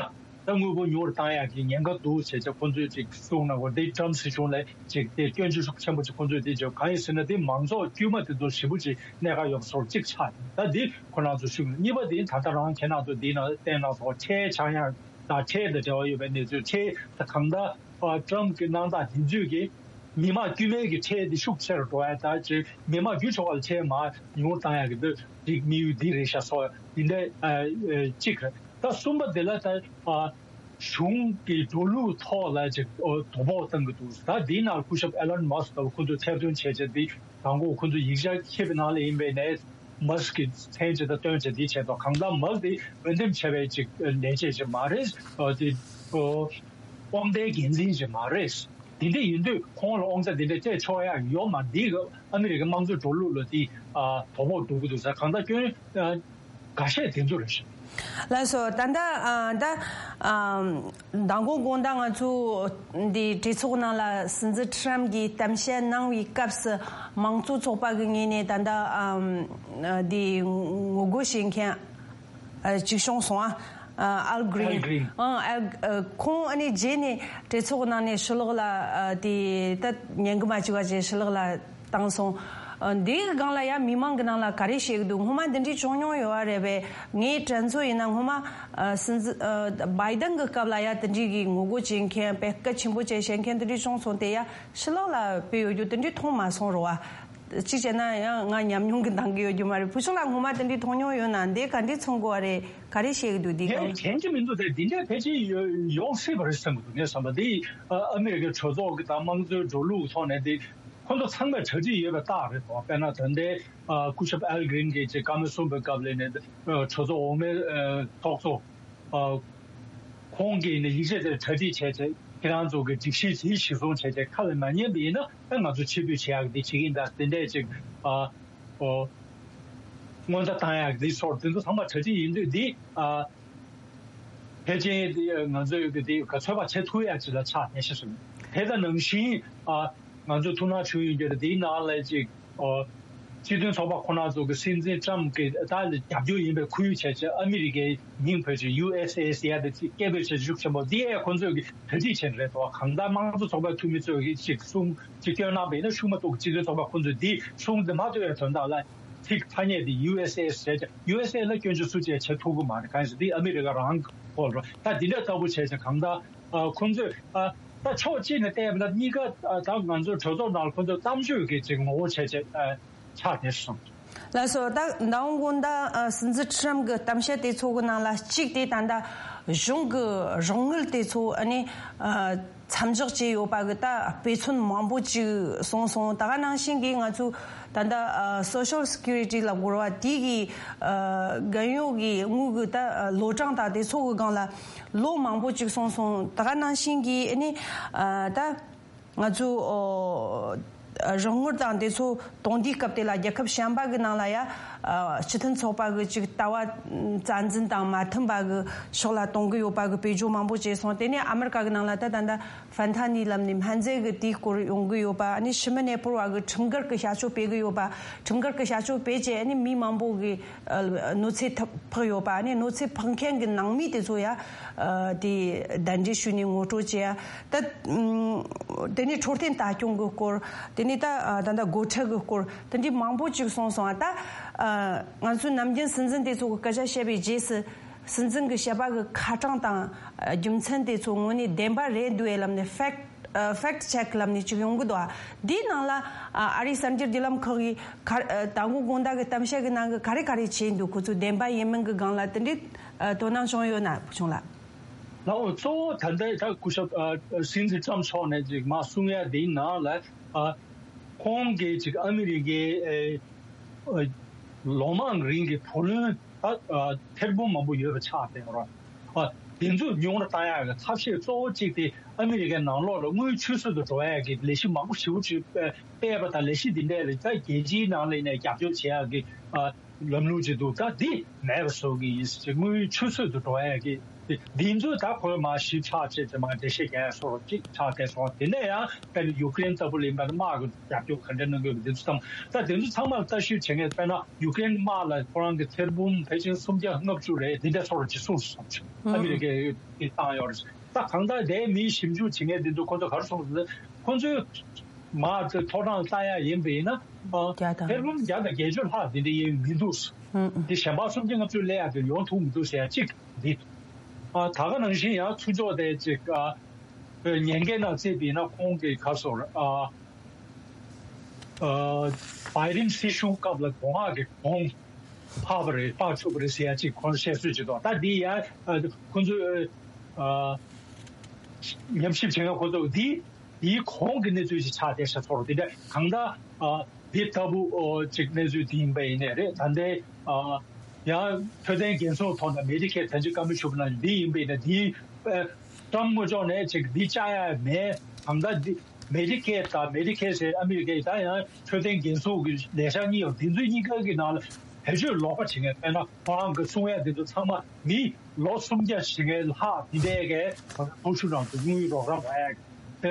ད་དངུལ་ཕོགས་ཉུང་རུ་བཏང་ཡ་གི་ཉེན་ཁ་འདུག་ཟེར་བྱས་ཁོང་ཚོས་ཅིག་གསུངས་གནང་གོ། འདི་ཊམ་སྲིད་གཞུང་ལ་ཅིག་དེ་སྐྱོན་བརྗོད་ཤུགས་ཆེན་པོ་ཅིག་ཁོང་ཚོས་དེ་བརྗོད། གང་ཡིན་ཟེར་ན་དེ་མང་ཚོགས་དཀྱུས་མ་དེ་ཚོ་ཞེ་པོ་ཅིག་གནད་འགག་ཡོད་པ་སོགས་གཅིག་ཆགས་ཡིན། ད་འདི་ཁོ་རང་ཚོ་ཞུ་གི། གཉིས་པ་དེ་ད་ལྟ་རང་ཁྱེད་རང་ཚོ་འདི་ནང་བསྟན་གནང་སོང་། ཁྲལ་ཆག་ཡང་དང་ཁྲལ་དང་འབྲེལ་བ་ཡོད་པའི་གནས་ཚུལ། ཁྲལ་ད་གང་ལྟར་ཨ་ཊམ་གྱི་གནང་སྟངས་དེ་ཚོས་ཀྱི་མི་དམངས་དཀྱུས་མའི་གི་ཁྲལ་དེ་ཤུགས་ཆེ་རུ་འགྲོ་ཡ་དང་ཅིག་མི་དམངས་རྒྱུ་ཆ་བ་ལ་ཁྲལ་མར་ཉུང་བཏང་ཡ་གི་འདི་རིགས་དམིགས་ཡུལ་འདི་རེད་ཤག་སོགས་འདི་འདྲ་ཨ་ཨ་གཅིག་རེད། ད་གསུམ་པ་དེ་ལ་ད་ཨ་གཞུང་གི་འགྲོ་ལུགས་ཐོག་ལ་ཅིག་ཨོ་དོ་ཕོག་བཏང་གི་འདུག། ད་འདིའི་ནང་སྐུ་ཞབས་ཨེ་ལོན་མཱ་སི་ལྟ་བུ་ཁོ་ཚོས་ཐེར་འདོན་བྱས་བྱས་འདི་དང་པོ་ཁོ་ཚོས་ཡིག་ཆ་ཁྱེར་བའི་ནང་ལ་ཡིན་པའི་ནས། མཱ་སི་ཀྱི་མཚན་ཅིག་དང་སྟོན་བྱས་འདི་བྱས་ཏོ། གང་ལྟར་མཱ་སི་དེ་འོས་འདེམས་བྱས་པའི་ཅིག་ལས་བྱེད་ཅིག་མ་རེད། ཨ་དེ་ཨོ་དབང་ལྡན་འགན་འཛིན་ཅིག་མ་རེད། དེ་འདྲ་ཡིན་དུས་ཁོང་ལ་དབང་ཆ་དེ་འདྲ་སྤྲད་ཆོག་ཡ་ཡོད་མ་རེད། འདི་ཨ་མི་རི་ཀའི་དམངས་གཙོའི་འགྲོ་ལུགས་ལ་དེ་ཨ་དོ་ཕོག་འགྲོ་གི་འདུག་ཟེར། གང་ལྟར་སྐྱོན་ཨ་འགའ་ཤས་དེ་ཚོ་རེད་ཤག། ལགས་སོ། ད་ལྟ་ཨ་ད་ཨ་མདང་དགོང་དགོང་དག་ང་ཚོ་འདི་གྲོས་ཚོགས་ནང་ལ་སྲིད་འཛིན་ཊམ་གྱིས་གཏམ་བཤད་གནང་བའི་སྐབས་སུ་དམངས་གཙོ་ཚོགས་པ་གི་ངོས་ནས་ད་ལྟ་ཨམ་འདི་ངོ་རྒོལ་བྱེད་མཁན་ཨ་གཅིག་བྱུང་སོང་ཨ། ཨལ་གྷི་རིན། ཨལ་གྷི་རིན། ཨང་ཨལ་ཨ་ཁོང་ཨ་ནི་རྗེས་ནས་གྲོས་ཚོགས་ནང་ནས་ཕྱི་ལོགས་ལ་ཨ་དེ་ད་ཉན་གི་མ་བཅུག་པ་བྱས་ཕྱི་ལོགས་ལ་བཏང་སོང་། ཨ་འདིའི་སྒང་ལ་ཡ་མི་མང་གི་ནང་ལ་ག་རེ་བཤད་གི་འདུག། སྔོན་མ་འདི་འདྲའི་བྱུང་མྱོང་ཡོད་པ་རེད་པས། ངའི་དྲན་ཚོད་ཡིན་ན་སྔོན་མ་ཨ་སྲིད་འཛིན་ཨ་བྷའི་ཏན་གི་སྐབས་ལ་ཡ་དེ་འདྲའི་གི་ངོ་རྒོལ་བྱེད་མཁན་དཔེ་གལ་ཆེན་པོ་བྱས་བཤད་མཁན་དེ་འདྲའི་བྱུང་སོང་། དེ་ཡ་ཕྱི་ལོགས་ལ་སྤེལ་ཡོད་རྒྱུ་དེ་འདྲའི་མཐོང་མ་སོང་རོ་བ། གཅིག་བྱས་ན་ཡང་ང་ཉམས་མྱོང་གི་འདང་གི་ཡོད་རྒྱུ་མ་རེད། བུ་ཆུང་ལགས་སྔོན་མ་དེ་འདྲའི་མཐོང་མྱོང་ཡོད་ན་འདི་ག་འདྲའི་མཚོན་དགོས་པ་རེད། ག་རེ་བཤད་གི་འདུག་འདི་ངས་སྒང་ལ། དྲན་གྱི་མི་འདུག། དེ་འདི་འདྲ་ཕལ་ཆེར་ཡོ་ཡོང་སྲིད་པ་རེད་བསམ་གི་འདུག། ངས་བསམ་པ་འདི་ཨ་ཨ་མི་རི་ཀའི་གྲོས་ཚོགས་ཀྱི་དང་དམངས་གཙོའི་འགྲོ་ལུགས་ཀྱི་ཐོག་ནས་འདི་ཁོང་ཚོ་ཚང་མས་གྲ་སྒྲིག་ཡོད་པའི་རྟགས་རེད་དོ། དཔེར་ན་ད་ལྟའི་ཨ་སྐུ་ཞབས་ཨལ་གྷི་རིན་གྱིས་ཅིག་བཀའ་མོལ་གསུངས་པའི་སྐབས་ལ་ནས་ཨ་གྲོས་ཚོགས་འོག་མའི་ཨ་ཚོགས་གཙོ་ཨ་ཁོང་གིས་ནི་ཡིག་ཆ་དེར་གྲ་སྒྲིག་བྱས་བྱས་ཁྱེད་རང་ཚོ་གི་སྒྲིག་གཞི་དེ་གཞིར་བཟུང་བྱས་བྱས་ཁ་ལ་མ་ཉན་པ་ཡིན་ན་ཨ་ང་ཚོ་ཕྱིར་འབུད་བྱེད་ཡག་འདི་བྱེད་ཀྱིན་གདའ། དེ་འདྲས་ཅིག་ཨ་ཨོ་སྔོན་བརྡ་བཏང་ཡག་འདི་སོགས་དེ་ཚོ་ཚང་མ་གྲ་སྒྲིག་ཡིན་དུས་འདི་ཨ་ཕལ་ཆེར་འདི་ང་ཚོས་ཀྱི་འདི་ག་ཚོད་པ་བྱེད་ཐུབ་ཡག་ཅིག་ལ་ཆགས་ནས་ཤི་སོང་། དེ་དང་ནང་བཞིན་ཨ་ང་ཚོ་ཐུགས་སྣང་བྱུང་ཡོད་རྒྱུ་རེད། འདིའི་ནང་ལ་ཅིག་ཨོ་སྤྱི་མཐུན་ཚོགས་པ་ཁོ་ན་ཚོ་གི་སྲིད་འཛིན་ཊམ་གྱི་ད་ལ་རྒྱབ་སྐྱོར་ཡིན་པའི་ཁུལ་བྱས་བྱས་ཨ་མི་རི་ཀའི་མིང་བོད་ཀྱི་ཡུ་ཨེས་ཨེ་ཨེས་ཡ་དེ་ཅིག་སྐད་འབོད་བྱས་ཤུགས་ཆེན་པོ་འདི་ཨེ་ཁོ་ཚོས་གི་གྲ་སྒྲིག་བྱས་ནས་རེད་དོ། གང་ལྟར་དམངས་གཙོ་ཚོགས་པའི་འཐུས་མི་ཚོས་གི་ཅིག་གསུང་ཅིག་སྐྱོན་གནང་བས་ན་ཤུགས་མ་གཏོགས་སྤྱི་མཐུན་ཚོགས་པ་ཁོ་ཚོས་འདི་གསུང་འདི་མ་ཐོས་པའི་དོན་དག་ལ་ཚིག་ཐ་སྙད་འདི་ཡུ་ཨེས་ཨེ་ཨེས་བྱས་བྱས་ཡུ་ཨེས་ཨེ་ལ་སྐྱོན་བརྗོད་སུ་བྱས་བྱེད་ཐུབ་གི་མ་རེད། གང་ཡིན་ཟེར་འདི་ཨ་མི་རི་ཀ་རང་གི་ཁོ་རོ། ད་འདི་འདྲ་ལྟ་བུ་བྱས་བྱས་གང་ལྟར་ཨ་ཁོང་ཚོས་ཨ་ད་ཕྱོགས་གཅིག་ནས་བལྟས་པ་ན་གཉིས་ཀ་ཨ་ད་ང་ཚོའི་གྲོས་ཚོགས་ནང་ལ་ཁོང་ཚོས་གཏམ་བརྗོད་ཀྱི་ཅིག་ངོ་བོ་བྱས་བྱས་ཨ་ཆགས་བསྡད་སོང་། ལགས་སོ། ད་མདང་དགོང་ད་ཨ་སྲིད་འཛིན་ཁྲམ་གྱི་གཏམ་བཤད་དེ་ཚོ་གི་ནང་ལ་གཅིག་དེ་ད་ལྟ་གཞུང་གི་རོགས་དངུལ་དེ་ཚོ་ཨ་ནི་ཨ་མཚམས་འཇོག་བྱས་ཡོད་པ་གི་ད་དཔེ་མཚོན་མང་པོ་ཅིག་གསུངས་སོང་། ད་ག་ནང་བཞིན་གྱི་ང་ཚོའི་ ད་ལྟ་ཨ་Social Security་ལབ་དགོས་རེད་བ། དེ་གི་ཨ་རྒན་གཡོག་གི་དངུལ་གི་ད་ཨ་ལོ་གྲངས་དང་དེ་ཚོ་གི་སྒང་ལ་ལོ་མང་པོ་ཅིག་སོང་སོང་། ད་ག་ནང་བཞིན་གྱི་ཨ་ནི་ཨ་ད་ང་ཚོ་ཨོ་རོགས་དངུལ་དང་དེ་ཚོ་གཏོང་དུས་སྐབས་དེ་ལ་རྒྱལ་ཁབ་གཞན་པ་གི་ནང་ལ་ཡ་ཨ་སྤྱི་མཐུན་ཚོགས་པ་གི་ཅིག་ལྟ་བ་རྩ་འཛིན་དང་མ་མཐུན་པ་གི་ཕྱོགས་ལ་གཏོང་གི་ཡོད་པ་གི་བེད་སྤྱོད་མང་པོ་བྱས་སོང་། དེ་ནས་ཨ་མི་རི་ཀ་གི་ནང་ལ་ད་ད་ལྟ་ཧྥན་ཐ་ནི་ལབ་ནས་སྨན་རྫས་ཀྱི་དེའི་སྐོར་ཡོང་གི་ཡོད་པ། ཨ་ནི་ཤི་མི་ནད་ཕོག་པ་གི་ཁྲིམས་འགལ་གྱི་བྱ་སྤྱོད་སྤེལ་གི་ཡོད་པ། ཁྲིམས་འགལ་གྱི་བྱ་སྤྱོད་སྤེལ་བྱས་ཨ་ནི་མི་མང་པོ་གི་ཨ་གནོད་འཚེ་ཐེབས་ཕོག་ཡོད་པ། ཨ་ནི་གནོད་འཚེ་ཕོག་མཁན་གྱི་ནང་མི་དེ་ཚོ་ཡ་ཨ་དེ་གདན་འདྲེན་ཞུས་ནས་ངོ་སྤྲོད་བྱས་ཡ། ད་ཨུམ་དེ་ནས་འཕྲོད་བསྟེན་ལྟ་སྐྱོང་གི་སྐོར། དེ་ནས་ད་ཨ་ད་ལྟ་སྒོ་ཁྲལ་གི་སྐོར། དེ་འདྲའི་མང་པོ་ཅིག་སོང་སོང་ཨ། ད་ཨ་ང་ཚོའི་ནམ་རྒྱུན་སྲིད་འཛིན་དེ་ཚོ་གི་སྐད་ཆ་བཤད་པའི་རྗེས་སུ། སྲིད་འཛིན་གྱི་བཤད་པ་གི་ཁ་གྲངས་དང་ཨ་རྒྱུ་མཚན་དེ་ཚོ་དངོས་གནས་བདེན་པ་རེད་འདུག་ཨེ་ལབ་ནས་fact ཨ་fact check་ལབ་ནས་ཅིག་ཡོང་གི་འདུག་ཨ། འདིའི་ནང་ལ་ཨ་ཨ་རིའི་གསར་འགྱུར་བརྒྱུད་ལམ་ཁག་གིས་ག་ཨ་མདང་དགོང་དགོང་དག་གི་གཏམ་བཤད་ཀྱི་ནང་གི་ག་རེ་ག་རེ་བྱས་འདུག་ཁོ་ཚོ་བདེན་པ་ཡིན་མིན་གྱི་སྒང་ལ་དེ་འདྲའི་ཨ་དོ་སྣང་བྱུང་ཡོད་ན་བུ་ཆུང་ལགས། ལའོ་གཙོ་བོ་ད་ལྟའི་ད་སྐུ་ཞབས་ཨ་སྲིད་འཛིན་ཊམ་མཆོག་ནས་ཅིག་མ་གསུང་ཡ་དེའི་ནང་ལ་ཨ་ཁོང་གིས་ཅིག་ཨ་མི་རི་ཀའི་ཨེ་ཨ་ལོ་མང་རིང་གི་བུ་ལོན་ད་ཨ་ཐེར་འབུམ་མང་པོ་ཡོད་པ་ཆགས་བསྡད་ཡོད་རེད། ཨ་དེ་ཚོ་ཉུང་རུ་བཏང་ཡག་གི་ཐབས་ཤེས་གཙོ་བོ་གཅིག་དེ་ཨ་མི་རི་ཀའི་ནང་ལོགས་ལ་དངུལ་ཆུད་ཟོས་དུ་འགྲོ་ཡག་གི་ལས་གཞི་མང་པོ་ཞེ་པོ་ཅིག་སྤེལ་བ་དང་། ལས་གཞི་འདི་འདྲ་ལ་ད་རྒྱལ་སྤྱིའི་ནང་ལ་ནས་རྒྱབ་སྐྱོར་བྱེད་ཡག་གི་ཨ་ལམ་ལུགས་ཅིག་འདུག་ད་འདི་མེད་པ་བཟོ་གི་ཡིན་ཟེར། དངུལ་ཆུད་ཟོས་དུ་འགྲོ་ཡག་གི་འདི་ཚོ་ད་ཁོས་མར་ཞིབ་ཚགས་བྱས་ཏེ་མར་འགྲེལ་བཤད་རྒྱག་ཡག་བཟོ་འདྲ་ཅིག་ཆགས་བསྡད་སོང་། དེ་ནས་ཡང་དཔེར་ན་ཡུ་ཀེ་རེན་ལྟ་བུ་ལ་ཡིན་པ་ན་དམག་གི་རྒྱབ་སྐྱོར་ག་འདྲ་གནང་དགོས་པ་འདི་ཚོ་ཚང་མ། ད་དེ་ཚོ་ཚང་མ་ལ་ལྟ་ཞིབ་བྱེད་མཁན་དཔེར་ན་ཡུ་ཀེ་རེན་དམག་ལ་ཁོ་རང་གི་ཐེར་འབུམ་ཕལ་ཆེར་སུམ་བརྒྱ་ལྔ་བཅུ་རེད། དེ་འདྲ་སོགས་ཀྱི་གསུངས་སོང་། ཨ་མི་རི་ཀས་བཏང་ཡོད་རེད། ད་གང་ལྟར་དེའི་མིའི་ཞིབ་འཇུག་བྱེད་མཁན་དེ་ཚོ་ཁོ་ཚོ་ག་རེ་གསུངས་ཟེར་ན། ཁོ་ཚོས་མར་དེ་ཐོ་གྲངས་བལྟ་ཡག་ཡིན་པ་ཡིན་ན། ཨ་བརྒྱ་དང་ཐེར་འབུམ་བརྒྱ་དང་བརྒྱད་ཅུ་ལྷག་དེ་འདྲ་ཡིན་མི་འདུག་ཨུ་ཨུ། དེ་གཞན་པ་སུམ་བརྒྱ་ལྔ་བཅུ་སླེབས་ཡག་དེ་ཡོང་ཐུབ་མི་འདུག་ཟེར་ཡག་གཅིག་འདི། ཨ་ད་ག་ནང་བཞིན་ཡང་ཚུར་ཕྱོགས་དེ་ཅིག་ཨ་ཉེན་ཁའི་ནང་བརྩིས་པ་ཡིན་ན་ཁོང་གི་ག་རེ་ཟེར་ཨ། ཨ་བའི་ཌེན་སྲིད་གཞུང་སྐབས་ལ་མདོ་སྔགས་ཀྱི་གོང་འཕགས་པ་རེད། འཕགས་ཆོག་པ་རེད་ཟེར་ཡ་གཅིག་ཁོང་བཤད་སྲོལ་ཅིག་འདུག་ད་འདི་ཡ་ཨ་ཁོ་ཚོས་ཨ་ཉམས་ཞིབ་བྱེད་མཁན་ཁོ་ཚོ་འདི་འདིའི་གོང་གི་གནས་ཚུལ་ཞིག་ཆགས་བསྡད་ཤག་ཚོར་དེ་འདྲ་གང་ལྟར་ཨ་འདི་ལྟ་བུ་ཨོ་ཅིག་གནས་ཚུལ་འདི་ཡིན་པ་ཡིན་ནའི་རེད། ད་ལྟའི་ཨ་ཡང་འཕྲོད་བསྟེན་འགན་སྲུང་ཐོག་ནས་མེ་ཌི་ཀེར་ད་ཅི་བཀའ་མོལ་ཞུ་བ་ནང་བཞིན་འདི་ཡིན་པ་ཡིན་ན་འདི་ཨ་ཊམ་དངོས་ཕྱོགས་ནས་ཅིག་འདི་བཅག་ཡ་མེད། གང་ལྟར་འདི་མེ་ཌི་ཀེར་དང་མེ་ཌི་ཀེར་ཟེར་ཨ་མི་རི་ཀའི་ད་ཡང་འཕྲོད་བསྟེན་འགན་སྲུང་གི་ལས་འཆར་གཉིས་ཡོད། འདི་ཚོ་གཉིས་ཀ་གི་ནང་ལ་བེད་སྤྱོད་ལོག་པ་བྱེད་མཁན་དཔེར་ན་ཁོ་རང་གི་གསུང་ཡ་འདི་ཚོ་ཚང་མ་མི་ལོ་སུམ་བརྒྱ་བྱེད་མཁན་ལྷག་འདི་འདྲའི་གི་ཕོ་ཤུ་རང་དུ་དངུལ་རོགས་རམ་རག་ཡ་གི་དེ་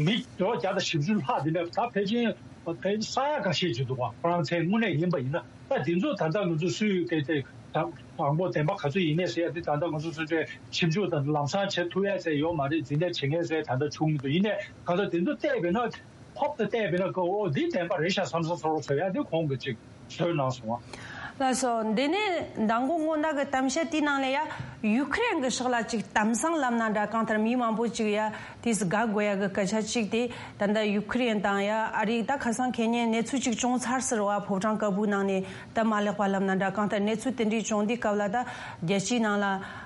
མི་ལོ་བརྒྱ་དང་བཞི་བཅུ་ལྷག་འདི་འདྲ་ད་ཕལ་ཆེར་ཕལ་ཆེར་ས་ཡ་འགའ་ཤས་ཅིག་འདུག་བ། ཁོ་རང་མཚན་དངོས་གནས་ཡིན་པ་ཡིན་ན། ད་འདི་ཚོ་ད་ལྟ་ང་ཚོ་སུས་གལ་ཏེ་དང་དང་པོ་བདེན་པ་ག་ཚོད་ཡིན་མིན་ཟེར་ཡ་དེ་ད་ལྟ་ང་ཚོ་སུ་ཚོས་ཞིབ་འཇུག་དང་ལམ་སང་བྱེད་ཐུབ་ཡ་ཟེར་ཡོད་མ་རེད། འཛིན་གྲྭ་བྱེད་མཁན་ཟེར་ད་ལྟ་བྱུང་མི་འདུག་ཡིན་ནའི་གང་ལྟར་འདི་ཚོ་བལྟས་པས་ན་ཧོབ་ཏེ་བལྟས་པས་ན་ཀོ་འོ་འདི་བདེན་པ་རེད་ཤག་བསམ་བསམ་བཟོ་རོགས་བྱེད་ཡ་དེ་ཁོང་གིས་ཅིག་བཟོས་གནང་སོང་བ། ལགས་སོ། འདི་ནས་མདང་དགོང་དགོང་དག་གི་གཏམ་བཤད་དེའི་ནང་ལ་ཡ་ཡུ་ཁུ་རེན་གྱི་ཕྱོགས་ལ་ཅིག་གཏམ་བཟང་ལབ་ན་འདྲ། གང་ལྟར་མི་མང་པོ་ཅིག་ཡ་དེས་དགའ་དགོས་ཡ་གི་སྐད་ཆ་གཅིག་དེ་ད་ལྟ་ཡུ་ཁུ་རེན་དང་ཡ་ཨ་རི་ད་ཁ་སང་ཁེ་ཉེ་གནས་ཚུལ་གཅིག་བྱུང་ཚར་ཟེར་བ། ཕོ་བྲང་དཀར་པོའི་ནང་ནས་ད་མ་ལེགས་པ་ལབ་ན་འདྲ། གང་ལྟར་གནས་ཚུལ་དེ་འདྲའི་བྱུང་དུས་སྐབས་ལ་ད་རྒྱལ་སྤྱིའི་ནང་ལ་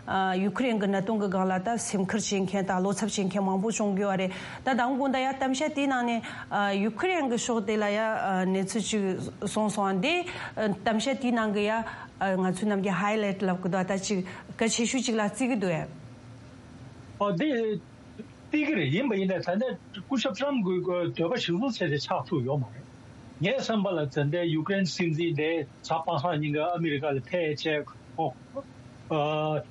ཨ་ཡུ་ཁུ་རེན་གི་གནད་དོན་གི་སྒང་ལ་ད་སེམས་ཁུར་བྱེད་མཁན་དང་བློ་འཚབ་བྱེད་མཁན་མང་པོ་བྱུང་གི་ཡོད་རེད། ད་དང་པོ་ད་ཡ་གཏམ་བཤད་དེའི་ནང་ནས་ཨ་ཡུ་ཁུ་རེན་གི་ཕྱོགས་དེ་ལ་ཡ་ཨ་གནས་ཚུལ་ཅིག་གསུངས་སོང་། འདི་ཨ་གཏམ་བཤད་དེའི་ནང་གི་ཡ་ཨ་ང་ཚོའི་ནམ་རྒྱུན་ཧའི་ལའེ་ཊི་ལབ་གི་འདུག་ད་ཅིག་གལ་ཆེ་ཤོས་ཅིག་ལ་བརྩི་གི་འདུག་ཨེ། ཨ་འདི། བརྩི་གི་རེད། ཡིན་པ་ཡིན་ནའི་ད་ལྟ་སྐུ་ཞབས་ཊམ་གྱི་འདོད་པ་གཞིར་བཟུང་བྱས་ཏེ་ཆགས་ཐུབ་ཡོད་མ་རེད། ངའི་བསམ་པ་ལ་ད་ལྟའི་ཡུ་ཀེ་རེན་སྲིད་འཛིན་དེ་གཟའ་པ་སངས་ཉིན་ཀ་ཨ་མི་རི་ཀ་ལ་ཕེབས་བྱས་ཨོ་ཨ་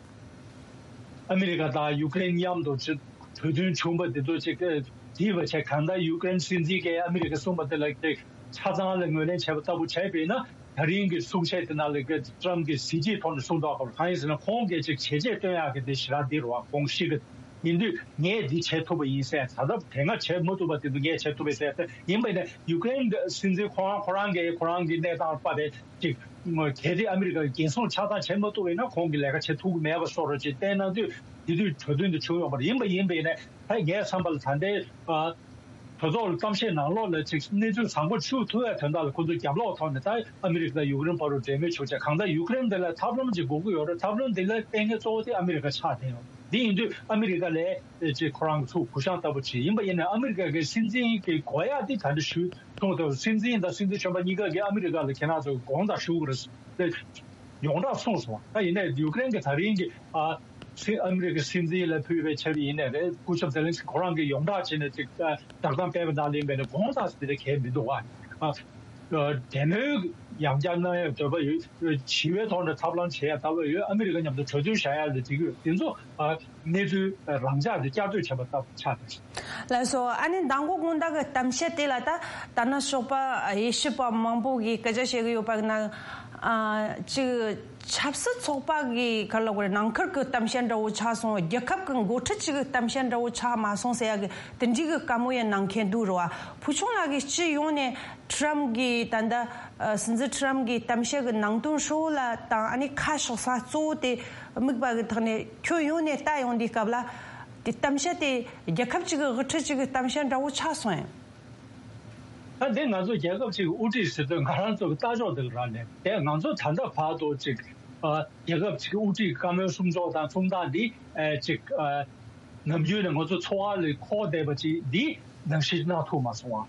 ཨ་མི་རི་ཀ་དང་ཡུ་ཀེ་རེན་མཉམ་དུ་ཅིག་གྲོས་མཐུན་བྱུང་བ་དེ་ཚོ་ཅིག་བསྡུས་པ་བྱས། གང་ལྟར་ཡུ་ཀེ་རེན་སྲིད་འཛིན་གྱིས་ཨ་མི་རི་ཀ་གསུངས་པ་དེ་ལ་ཅིག་ཆ་ཚང་ལ་ངོས་ལེན་བྱས་པ་ལྟ་བུ་བྱས་པས་ན། ད་རིང་གི་གསུང་བཤད་དེ་ནང་ལ་ཀྲམ་གྱིས་གཟི་བརྗིད་ཐོག་ནས་གསུངས་འདུག་ག་གང་ཡིན་ཟེར་ན་ཁོང་གིས་ཅིག་བྱས་རྗེས་སྟོན་ཡག་གི་དེ་ཞེ་དྲག་འདི་རུ་བ་ཁོང་ཤི་གི་ཡིན་དུས་ངས་འདི་བྱེད་ཐུབ་པ་ཡིན་ཟེར། ད་ལྟ་དེ་སྔ་བྱེད་མ་ཐུབ་པ་དེ་ཚོ་ངས་བྱེད་ཐུབ་པ་ཟེར་ཏེ་ཡིན་པ་ཡིན་ན་ཡུ་ཀེ་རེན་སྲིད་འཛིན་ཁོ་རང་ཁོ་རང་གིས་ཁོ་རང་གི་གནས་སྟངས་པ་དེ་ཅིག་གལ་ཏེ་ཨ་མི་རི་ཀ་གི་འགན་སྲུང་ཆ་ཚང་བྱེད་མ་ཐུབ་པ་ཡིན་ན་ཁོང་གིས་ལས་ཀ་བྱེད་ཐུབ་ཀྱི་མེད་པ་བཟོ་འདྲ་ཅིག་བསྟན་གནང་དུས་དེ་དུས་གྲོས་མཐུན་དེ་བྱུང་ཡོད་མ་རེད། ཡིན་པ་ཡིན་པ་ཡིན་ན་ད་ངའི་བསམ་པ་ལ་ད་ལྟའི་གྲོས་ཚོགས་ལ་གཏམ་བཤད་ནང་ལོགས་ལ་ཅིག་གནས་ཚུལ་བཟང་པོ་ཞུ་ཐུབ་ཡ་དོན་དག་ལ་ཁོ་ཚོ་རྒྱབ་ལོགས་ཐོག་ནས་ད་ཨ་མི་རི་ཀ་དང་ཡུ་ཀེ་རེན་བར་དུ་འབྲེལ་མོལ་བྱུང་བྱས། གང་ལྟར་ཡུ་ཀེ་རེན་དེ་ལ་ཐབས་ལམ་ཅིག་དགོས་ཀྱི་ཡོད་རེད། ཐབས་ལམ་དེ་ལ་ལྟས་ངན་གཙོ་བོ་དེ་ཨ་མི་རི་ཀ་ཆགས་བསྡད་ཡོད། འདི་ཡིན་དུས་ཨ་མི་རི་ཀ་ལས་ཅིག་ཁོ་རང་གི་ཚུགས་གུ་ཤང་ལྟ་བུ་ཅིག་ཡིན་པ་ཡིན་ན། ཨ་མི་རི་ཀ་གི་སྲིད་འཛིན་གྱི་གོ་ཡག་འདི་ད་འདི་ཞུ་གསུངས་ཐུབ། སྲིད་འཛིན་དང་སྲིད་འཛིན་གཞོན་པ་གཉིས་ཀ་གིས་ཨ་མི་རི་ཀ་ལ་ཁྱེད་རང་ཚོ་དགོངས་དག་ཞུ་དགོས་རེད། ཡོངས་གྲགས་གསུངས་སོང་། ད་ཡིན་ནའི་ཡུ་ཀེ་རེན་གྱི་ད་རིང་གི་ཨ་སི་ཨ་མི་རི་ཀའི་སྲིད་འཛིན་ལ་ཕུལ་བའི་ཆེད་ཡིན་ནའི་རེད། སྐུ་ཞབས་ཛེ་ལན་སི་ཁོ་རང་གིས་ཡོངས་གྲགས་བྱས་ནས་ཅིག་བསྒྲགས་གཏམ་སྤེལ་བའི་ནང་ལ་ཡིན་པས་ན་དགོངས་དག་དེ་འདྲ་གལ་མི་འདུག་བ། ཨ་འབྲེལ་མོལ་ཡང་བསྐྱར་གནང་ཡག་འདོད་པ་ཡོད། ཞི་བའི་ཐོག་ནས་ཐབས་ལམ་བྱེད་ཡག་འདོད་པ་ཡོད། ཨ་མི་རི་ཀ་མཉམ་དུ་གྲོས་མཐུན་བཞག་ཡག་ལ་འགྲིག་གི་ཡོད། དེ་ཚོ་ཨ་གནས་ཚུལ་རང་འཇགས་དེ་བསྐྱར་ཟློས་བྱས་པ་ལྟ་བུ་ཆགས་བསྡད་ཤག་ལགས་སོ། ཨ་ནི་མདང་དགོང་དགོང་དག་གི་གཏམ་བཤད་དེ་ལ་ད་ད་ནང་ཞོགས་པ་དབྱེ་ཞིབ་པ་མང་པོ་གིས་སྐད་ཆ་བཤད་གི་ཡོད་པ་ན། ཨ་ཅིག་ཆབ་སྲིད་ཚོགས་པ་གི་ག་རེ་ལབ་དགོས་རེད། ནང་ཁུལ་གྱི་གཏམ་བཤད་འདྲ་བོ་ཆགས་སོང་། རྒྱལ་ཁབ་ཀྱི་འགོ་ཁྲིད་ཅིག་གི་གཏམ་བཤད་འདྲ་བོ་ཆགས་མ་སོང་ཟེར་ཡག་གི་དེ་འདྲའི་གི་བཀའ་མོལ་ཡང་གནང་མཁན་འདུག་རེད་བ། ཕུལ་བྱུང་ལགས་ཀྱིས་སྤྱི་ཡོངས་ནས་ཁྲི་རམ་གྱི་ད་ལྟ་ཨ་སྲིད་འཛིན་ཁྲི་རམ་གྱི་གཏམ་བཤད་ཀྱི་ནང་དོན་ཧྲིལ་བོ་ལ་དང་། ཨ་ནི་ཁ་ཕྱོགས་ས་གཙོ་བོ་དེ་དམིགས་པ་གི་ཐོག་ནས་ཁྱོན་ཡོངས་ནས་ལྟ་ཡོང་དུས་སྐབས་ལ། དེ་གཏམ་བཤད་དེ་རྒྱལ་ཁབ་ཅིག་གི་དབུ་ཁྲིད་ཅིག་གི་གཏམ་བཤད་འདྲ་བོ་ཆགས་སོང་ཡང་། ད་དེ་ང་ཚོ་རྒྱལ་ཁབ་ཅིག་གི་དབུ་ཁྲིད་ཟེར་དུས་ང་རང་ཚོ་གི་ལྟ་ཕྱོགས་དེ་རག་ནས། དེ་ང་ཚོ་ད་ལྟ་བར་དུ་ཅིག་ཨ་རྒྱལ་ཁབ་ཅིག་གི་དབུ་ཁྲིད་ཀྱི་བཀའ་མོལ་གསུང་ཕྱོགས་དང་གསུང་སྟངས་འདི་ཨ་ཅིག་ཨ་ནམ་རྒྱུན་ནས་ང་ཚོ་འཚོ་བ་ལ་འཁོར་བསྡད་པ་ཅིག་འདི་ནང་བཞིན་གནང་ཐུབ་མ་སོང་བ།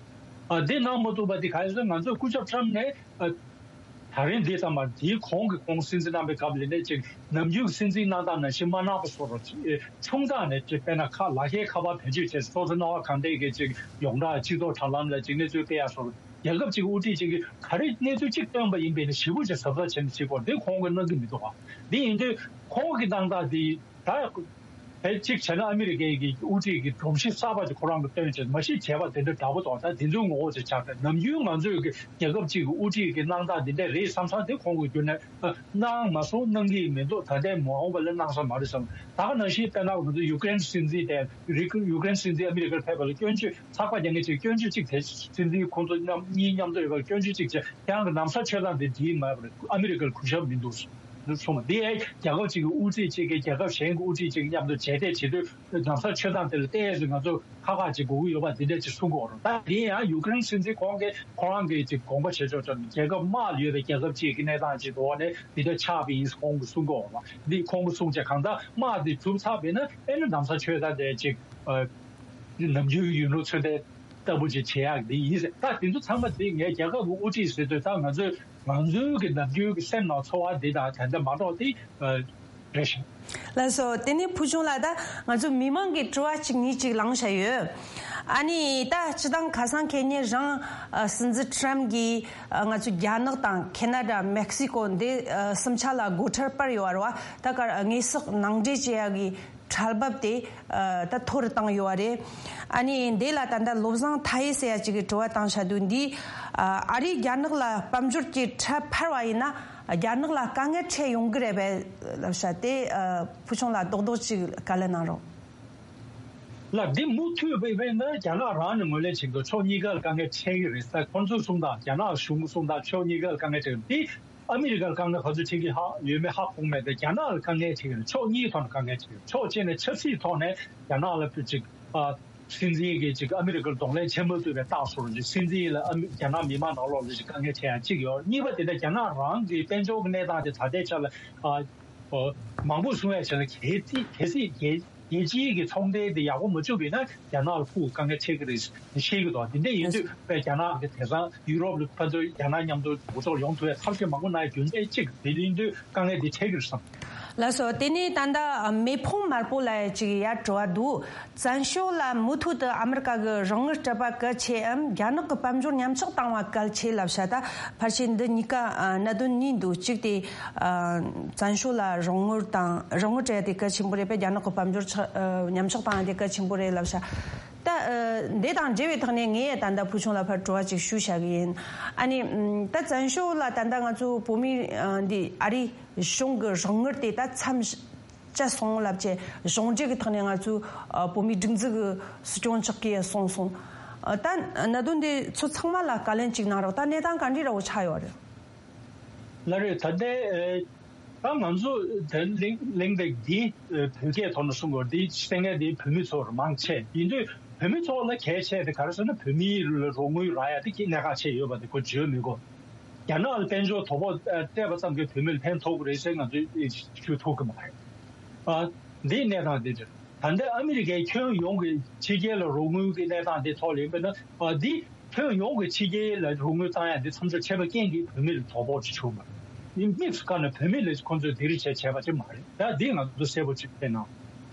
ཨ་འདི་གནང་མ་ཐུབ་པ་འདི་ག་རེ་ཟེར། ང་ཚོ་སྐུ་ཞབས་ཁྲི་རམ་ནས་ཨ་ད་རིང་འདི་ཙམ་པ་འདིའི་གོང་གི་ཁོང་སྲིད་འཛིན་གནང་བའི་སྐབས་ལ་ནས་ཅིག་ནམ་རྒྱུན་གྱི་སྲིད་འཛིན་གནང་སྟངས་ནང་བཞིན་མ་གནང་པ་བཟོ་འདྲ་ཅིག་ཨེ་ཆུང་ཙག་ནས་ཅིག་དཔེར་ན་ཁ་ལག་ཁའི་ཁ་པར་བེད་སྤྱོད་བྱས། སོ་སོ་སྣང་བ་གང་འདྲ་གི་ཅིག་ཡོངས་གྲགས་སྤྱི་ཚོགས་དྲ་ལམ་ལ་ཅིག་གནས་ཚུལ་སྤེལ་ཡག་བཟོ་འདྲ། རྒྱལ་ཁབ་ཅིག་གི་དབུ་ཁྲིད་ཅིག་གིས་ག་རེ་གནས་ཚུལ་ཅིག་བཏོན་པ་ཡིན་པས་ན་ཞེ་པོ་ཅིག་གཟབ་གཟབ་བྱས་ནས་བྱེད་དགོས། འདི་ཁོང་གིས་གནང་གི་མི་འདུག་ག་འདི་ཡིན་དུས་ཁོང་གི་གནང་སྟངས་འདི་ད་དཔེ་གཅིག་བྱས་ན་ཨ་མི་རི་ཀའི་གི་དབུ་ཁྲིད་ཀྱི་སྒྲོམ་གཞི་གསར་པ་ཅིག་ཁོ་རང་གིས་བཏོན་བྱས། མ་གཞི་བྱས་པ་དེ་འདྲ་འདྲ་པོ་འདུག་ད་དེ་ཚོའི་ངོ་བོ་ཅིག་ཆགས་ཏེ། ནམ་རྒྱུན་ང་ཚོའི་གི་རྒྱལ་ཁབ་ཅིག་གི་དབུ་ཁྲིད་ཀྱི་གནང་སྟངས་འདི་འདྲ་རེད་བསམ་བསམ་དེ་ཁོང་གིས་བརྒྱུད་ནས་ཨ་གནང་མ་སོང་། གནང་གི་མི་འདུག་ད་ལྟའི་མ་འོངས་པ་ལ་གནང་ས་མ་རེད་བསམ། ད་ག་ནང་བཞིན་དཔེར་ན་ང་ཚོ་ཡུ་ཀེ་རེན་སྲིད་འཛིན་དེ་ཡུ་ཀེ་རེན་སྲིད་འཛིན་ཨ་མི་རི་ཀར་ཕེབས་པ་ལ་སྐྱོན་བརྗོད་ཚགས་པར་རྒྱག་མཁན་ཅིག་སྐྱོན་བརྗོད་ཅིག་དེ་སྲིད་འཛིན་ཁོང་ཚོ་མཉམ་གཉིས་མཉམ་དུ་ཡོད་པར་སྐྱོན་བརྗོད་ཅིག་བྱས། ཁྱེད་རང་གི་ན་བཟའ་མཆོད་སྟངས་དེ་འགྲིག་མ་རེད། ཨ་མི་རི་ཀར་གུས་ཞབས་མི་འདུག་གསུངས་པ་འདི་ཨེ་རྒྱལ་ཁབ་ཅིག་གི་དབུ་ཁྲིད་ཅིག་གིས་རྒྱལ་ཁབ་གཞན་གྱི་དབུ་ཁྲིད་ཅིག་མཉམ་དུ་མཇལ་འཕྲད་བྱེད་དུས་ན་བཟའ་མཆོད་སྟངས་དེ་ལ་ཏོག་ཙམ་ང་ཚོ་ཁག་ཁག་ཅིག་དགོས་ཀྱི་ཡོད་པ་འདི་འདྲ་ཅིག་གསུང་གི་ཡོད་རེད། ད་འདི་ཡང་ཡུ་ཀེ་རེན་སྲིད་འཛིན་ཁོང་གིས་ཁོ་རང་གིས་ཅིག་དགོངས་པ་བཞེས་ཆོག་ཆོག་རྒྱལ་ཁབ་དམག་ལ་ཡོད་པའི་རྒྱལ་ཁབ་ཅིག་གི་གནས་སྟངས་ཅིག་འགྲོ་བ་ནས་འདི་འདྲ་ཆགས་པ་ཡིན་ཁོང་གིས་གསུང་གི་ཡོད་རེད། འདི་ཁོང་གིས་གསུང་བྱས་གང་ལྟར་དམག་འདི་གྲུབ་ཚར་བས་ན་ཨེ་ན་ན་བཟའ་མཆོད་སྟངས་དེ་ཅིག་ཨ་ནམ་རྒྱུན་ཡུལ་ལུང་ཚོད་ལྟའི་ལྟ་བུ་ཅིག་བྱེད་ཡག་འདི་ཡིན་ཟེར། ད་དེ་ཚོ་ཚང་མ་འདི་ངས་རྒྱལ་ཁབ་ཀྱི་དབུ་ཁྲིད་ཟེར་དུས་ད་ང་ཚོས་ང་ཚོའི་གི་ནམ་རྒྱུན་གྱི་སེམས་ནང་ཚོར་བ་འདི་དང་ད་ལྟ་མ་གཏོགས་དེ་རེད་ཤག་ལགས་སོ། དེ་ནས་ཕུལ་བྱུང་ལགས། ད་ང་ཚོ་མི་མང་གི་དྲི་བ་གཅིག་གཉིས་ཅིག་ལངས་བཞག་ཡོད། ཨ་ནི་ད་སྤྱི་བཏང་ཁ་སང་ཁེ་ཉིན་རང་ཨ་སྲིད་འཛིན་ཁྲི་རམ་གྱིས་ཨ་ང་ཚོ་རྒྱ་ནག་དང་ཁེ་ན་ཌ། མེག་སི་ཀོ་འདི་ཨ་གསུམ་ཆ་ལ་སྒོ་ཁྲལ་སྤར་ཡོད་རེད་བ། ད་ག་དངོས་ཟོག་ནང་འདྲེན་བྱེད་ཡག་གི་ཁྲལ་འབབ་དེ་ཨ་ད་མཐོ་རུ་བཏང་ཡོད་པ་རེད། ཨ་ནི་འདི་ལ་ད་ལྟ་བློ་བཟང་མཐའ་ཡས་ཟེར་ཡ་ཅིག་གིས་དྲི་བ་བཏང་བཞག་འདུག་འདི་ཨ་ཨ་རིས་རྒྱ་ནག་ལ་དཔལ་འབྱོར་གྱི་ཁྲལ་འཕར་བ་ཡིན་ན་རྒྱ་ནག་ལ་དཀའ་ངལ་འཕྲད་ཡོང་གི་རེད་པས་ལབ་བཞག་དེ་ཨ་ཕུལ་བྱུང་ལགས་རྡོག་རྡོག་ཅིག་བཀའ་ལན་གནང་རོགས། ལགས། འདི་མུ་མཐུད་པའི་དཔེར་ན་རྒྱ་ནག་རང་ནས་ངོས་ལེན་བྱེད་འདུག་ཕྱོགས་གཉིས་ཀ་ལ་དཀའ་ངལ་འཕྲད་ཀྱི་རེད་ཟེར་ཁོང་ཚོས་གསུངས་དང་། རྒྱ་ནག་གཞུང་གིས་གསུངས་དང་། ཕྱོགས་གཉིས་ཀ་ལ་དཀའ་ངལ་འཕྲད་ཀྱི་རེད། འདི་ཨ་མི་རི་ཀར་དཀའ་ངལ་ག་ཚོད་འཕྲད་ཀྱི་ཧ་ཡོད་མེད་ཧ་གོ་མེད་དེ། རྒྱ་ནག་ལ་དཀའ་ངལ་འཕྲད་ཀྱི་རེད། ཕྱོགས་གཉིས་ཐོག་ནས་དཀའ་ངལ་འཕྲད་ཀྱི་རེད། ཕྱོགས་གཅིག་ནས་ཆབ་སྲིད་ཐོག་ནས་རྒྱ་ནག་ལ་ཅིག་ཨ་སྲིད་འཛིན་གྱིས་ཅིག་ཨ་མི་རི་ཀར་གདོང་ལེན་བྱེད་མ་ཐུབ་པའི་རྟགས་སོར་ཅིག་སྲིད་འཛིན་ལ་ཨ་མི་རྒྱ་ནག་མི་མང་ནང་ལོགས་ལ་ཅིག་དཀའ་ངལ་འཕྲད་ཡ་གཅིག་ཡོད། གཉིས་པ་དེ་ནས་རྒྱ་ནག་རང་གི་དཔལ་འབྱོར་གྱི་གནས་སྟངས་དེ་ད་ལྟའི་ཆ་ལ་ཨ། ཨོ། མང་པོ་གསུང་ཡ་བྱས་ན་གལ་སྲིད་གལ་སྲིད་རྒྱལ་རྒྱལ་སྤྱིའི་གི་ཚོང་འབྲེལ་དེ་ཡག་པོ་མ་བཅུག་པ་ཡིན་ན་རྒྱ་ནག་ལ་ཁུག་དཀའ་ངལ་འཕྲད་ཀྱི་རེད་ཟེར་བཤད་ཀྱི་འདུག་དེ་འདྲ་ཡིན་དུས་དཔེ་རྒྱ་ནག་གི་དེང་སང་ཡུ་རོབ་ལ་ཕན་ཚུན་རྒྱ་ནག་མཉམ་དུ་འགོ་ཚུགས་ཡོང་ཐུབ་ཡ་ཐབས་ཤེས་མང་པོ་གནང་ཡ་རྒྱུ་མཚན་གཅིག་དེ་ཡིན་དུས་དཀའ་ངལ་འདི་འཕྲད་ཀྱི་རེད་བསམ། ལགས་སོ། དེ་ནས་ད་ལྟ་མེ་ཕུང་དམར་པོ་ལ་ཡ་ཅིག་ཡ་དྲི་བ་འདུག་བཙན་བྱོལ་ལ་མུ་མཐུད་དུ་ཨ་མི་རི་ཀ་གི་རོགས་དངུལ་སྤྲད་པ་གལ་ཆེའམ་རྒྱ་ནག་གི་དཔལ་འབྱོར་ཉམས་ཆག་བཏང་བ་གལ་ཆེ་ལབ་བྱ། ད་ཕལ་ཆེར་འདི་གཉིས་ཀ་ཨ་གནད་དོན་གཉིས་འདུག་གཅིག་དེ་ཨ་བཙན་བྱོལ་ལ་རོགས་དངུལ་དང་རོགས་དངུལ་སྤྲད་ཡ་དེ་གལ་ཆེན་པོ་རེད་པས། རྒྱ་ནག་གི་དཔལ་འབྱོར་ཆག་ཨ་ཉམས་ཆག་བཏང་ཡ་དེ་གལ་ཆེན་པོ་རེད་ལབ་བྱ། ད་ཨ་འདི་དང་འབྲེལ་བའི་ཐོག་ནས་ངས་ད་ལྟ་ཕུལ་བྱུང་ལ་ཕར་དྲི་བ་ཅིག་ཞུ་བྱ་གི་ཡིན། ཨ་ནི་ཨམ་ད་བཙན་བྱོལ་ལ་ད་ལྟ་ང་ཚོ་བོད་མི་ཨ་འདི་ཨ་རི་གཞུང་གི་རོགས་དངུལ་དེ་ད་མཚམས་བཅད་སོང་ལབ་བྱས་གཞུང་འབྲེལ་གྱི་ཐོག་ནས་ང་ཚོའི་ཨ་བོད་མིའི་སྒྲིག་འཛུགས་ཀྱི་སྲིད་སྐྱོང་མཆོག་གིས་གསུངས་སོང་། ཨ་ད་གནད་དོན་འདི་ཚོ་ཚང་མ་ལ་བཀའ་ལན་གཅིག་གནང་རོགས། ད་གནས་སྟངས་ག་འདྲ་འདྲ་བོ་ཆགས་ཡོད་རེད། ལགས་རེད། ད་ལྟའི་ཨེ་ད་ང་ཚོ་ད་གླེང་གླེང་སྟེགས་འདི་ཨེ་བོད་སྐད་ཐོག་ནས་གསུང་དགོས། འདི་གསན་མཁན་འདི་བོད་མི་ཚོར་མང་ཆེ་ཡིན་དུས་བོད་མི་ཚོ་ལ་གལ་ཆེ་དེ་ག་རེ་ཟེར་ན་བོད་མིའི་རོགས་དངུལ་རག་ཡ་དེ་གི་གནད་འགག་ཆེ་ཡོད་པ་དེ་ཁོ་བརྗོད་མི་དགོས། རྒྱ་ནག་ལ་དཔལ་འབྱོར་དོ་ཕོག་ཨ་སྤྲད་པ་ཙམ་གྱིས་བོད་མི་ལ་ཕན་ཐོགས་ཀྱི་རེད་ཟེར་ང་ཚོས་ཨེ་ཞུ་ཐུབ་ཀྱི་མ་རེད། ཨ་ འདིའི་གནས་སྟངས་འདི་རེད། ད་ལྟ་ཨ་མི་རི་ཀའི་ཁྱོན་ཡོངས་ཀྱི་ཕྱི་རྒྱལ་ལ་རོགས་དངུལ་གྱི་གནས་སྟངས་འདི་ཐོག་ལ་ཡིན་པ་ན། ཨ། འདི་ཁྱོན་ཡོངས་ཀྱི་ཕྱི་རྒྱལ་ལ་རོགས་དངུལ་བཏང་ཡ་འདི་མཚམས་འཇོག་བྱས་པའི་རྐྱེན་གྱིས་བོད་མི་ལ་དོ་ཕོག་ཅིག་བྱུང་བ་ཡིན། དམིགས་སུ་བཀར་ནས་བོད་མི་ལ་ཁོང་ཚོས་འདི་རིགས་བྱས་བྱས་པ་ཅིག་མ་རེད། ད་འདི་ང་ཚོ་གསལ་པོ་ཅིག་ཕེབས་གནང་།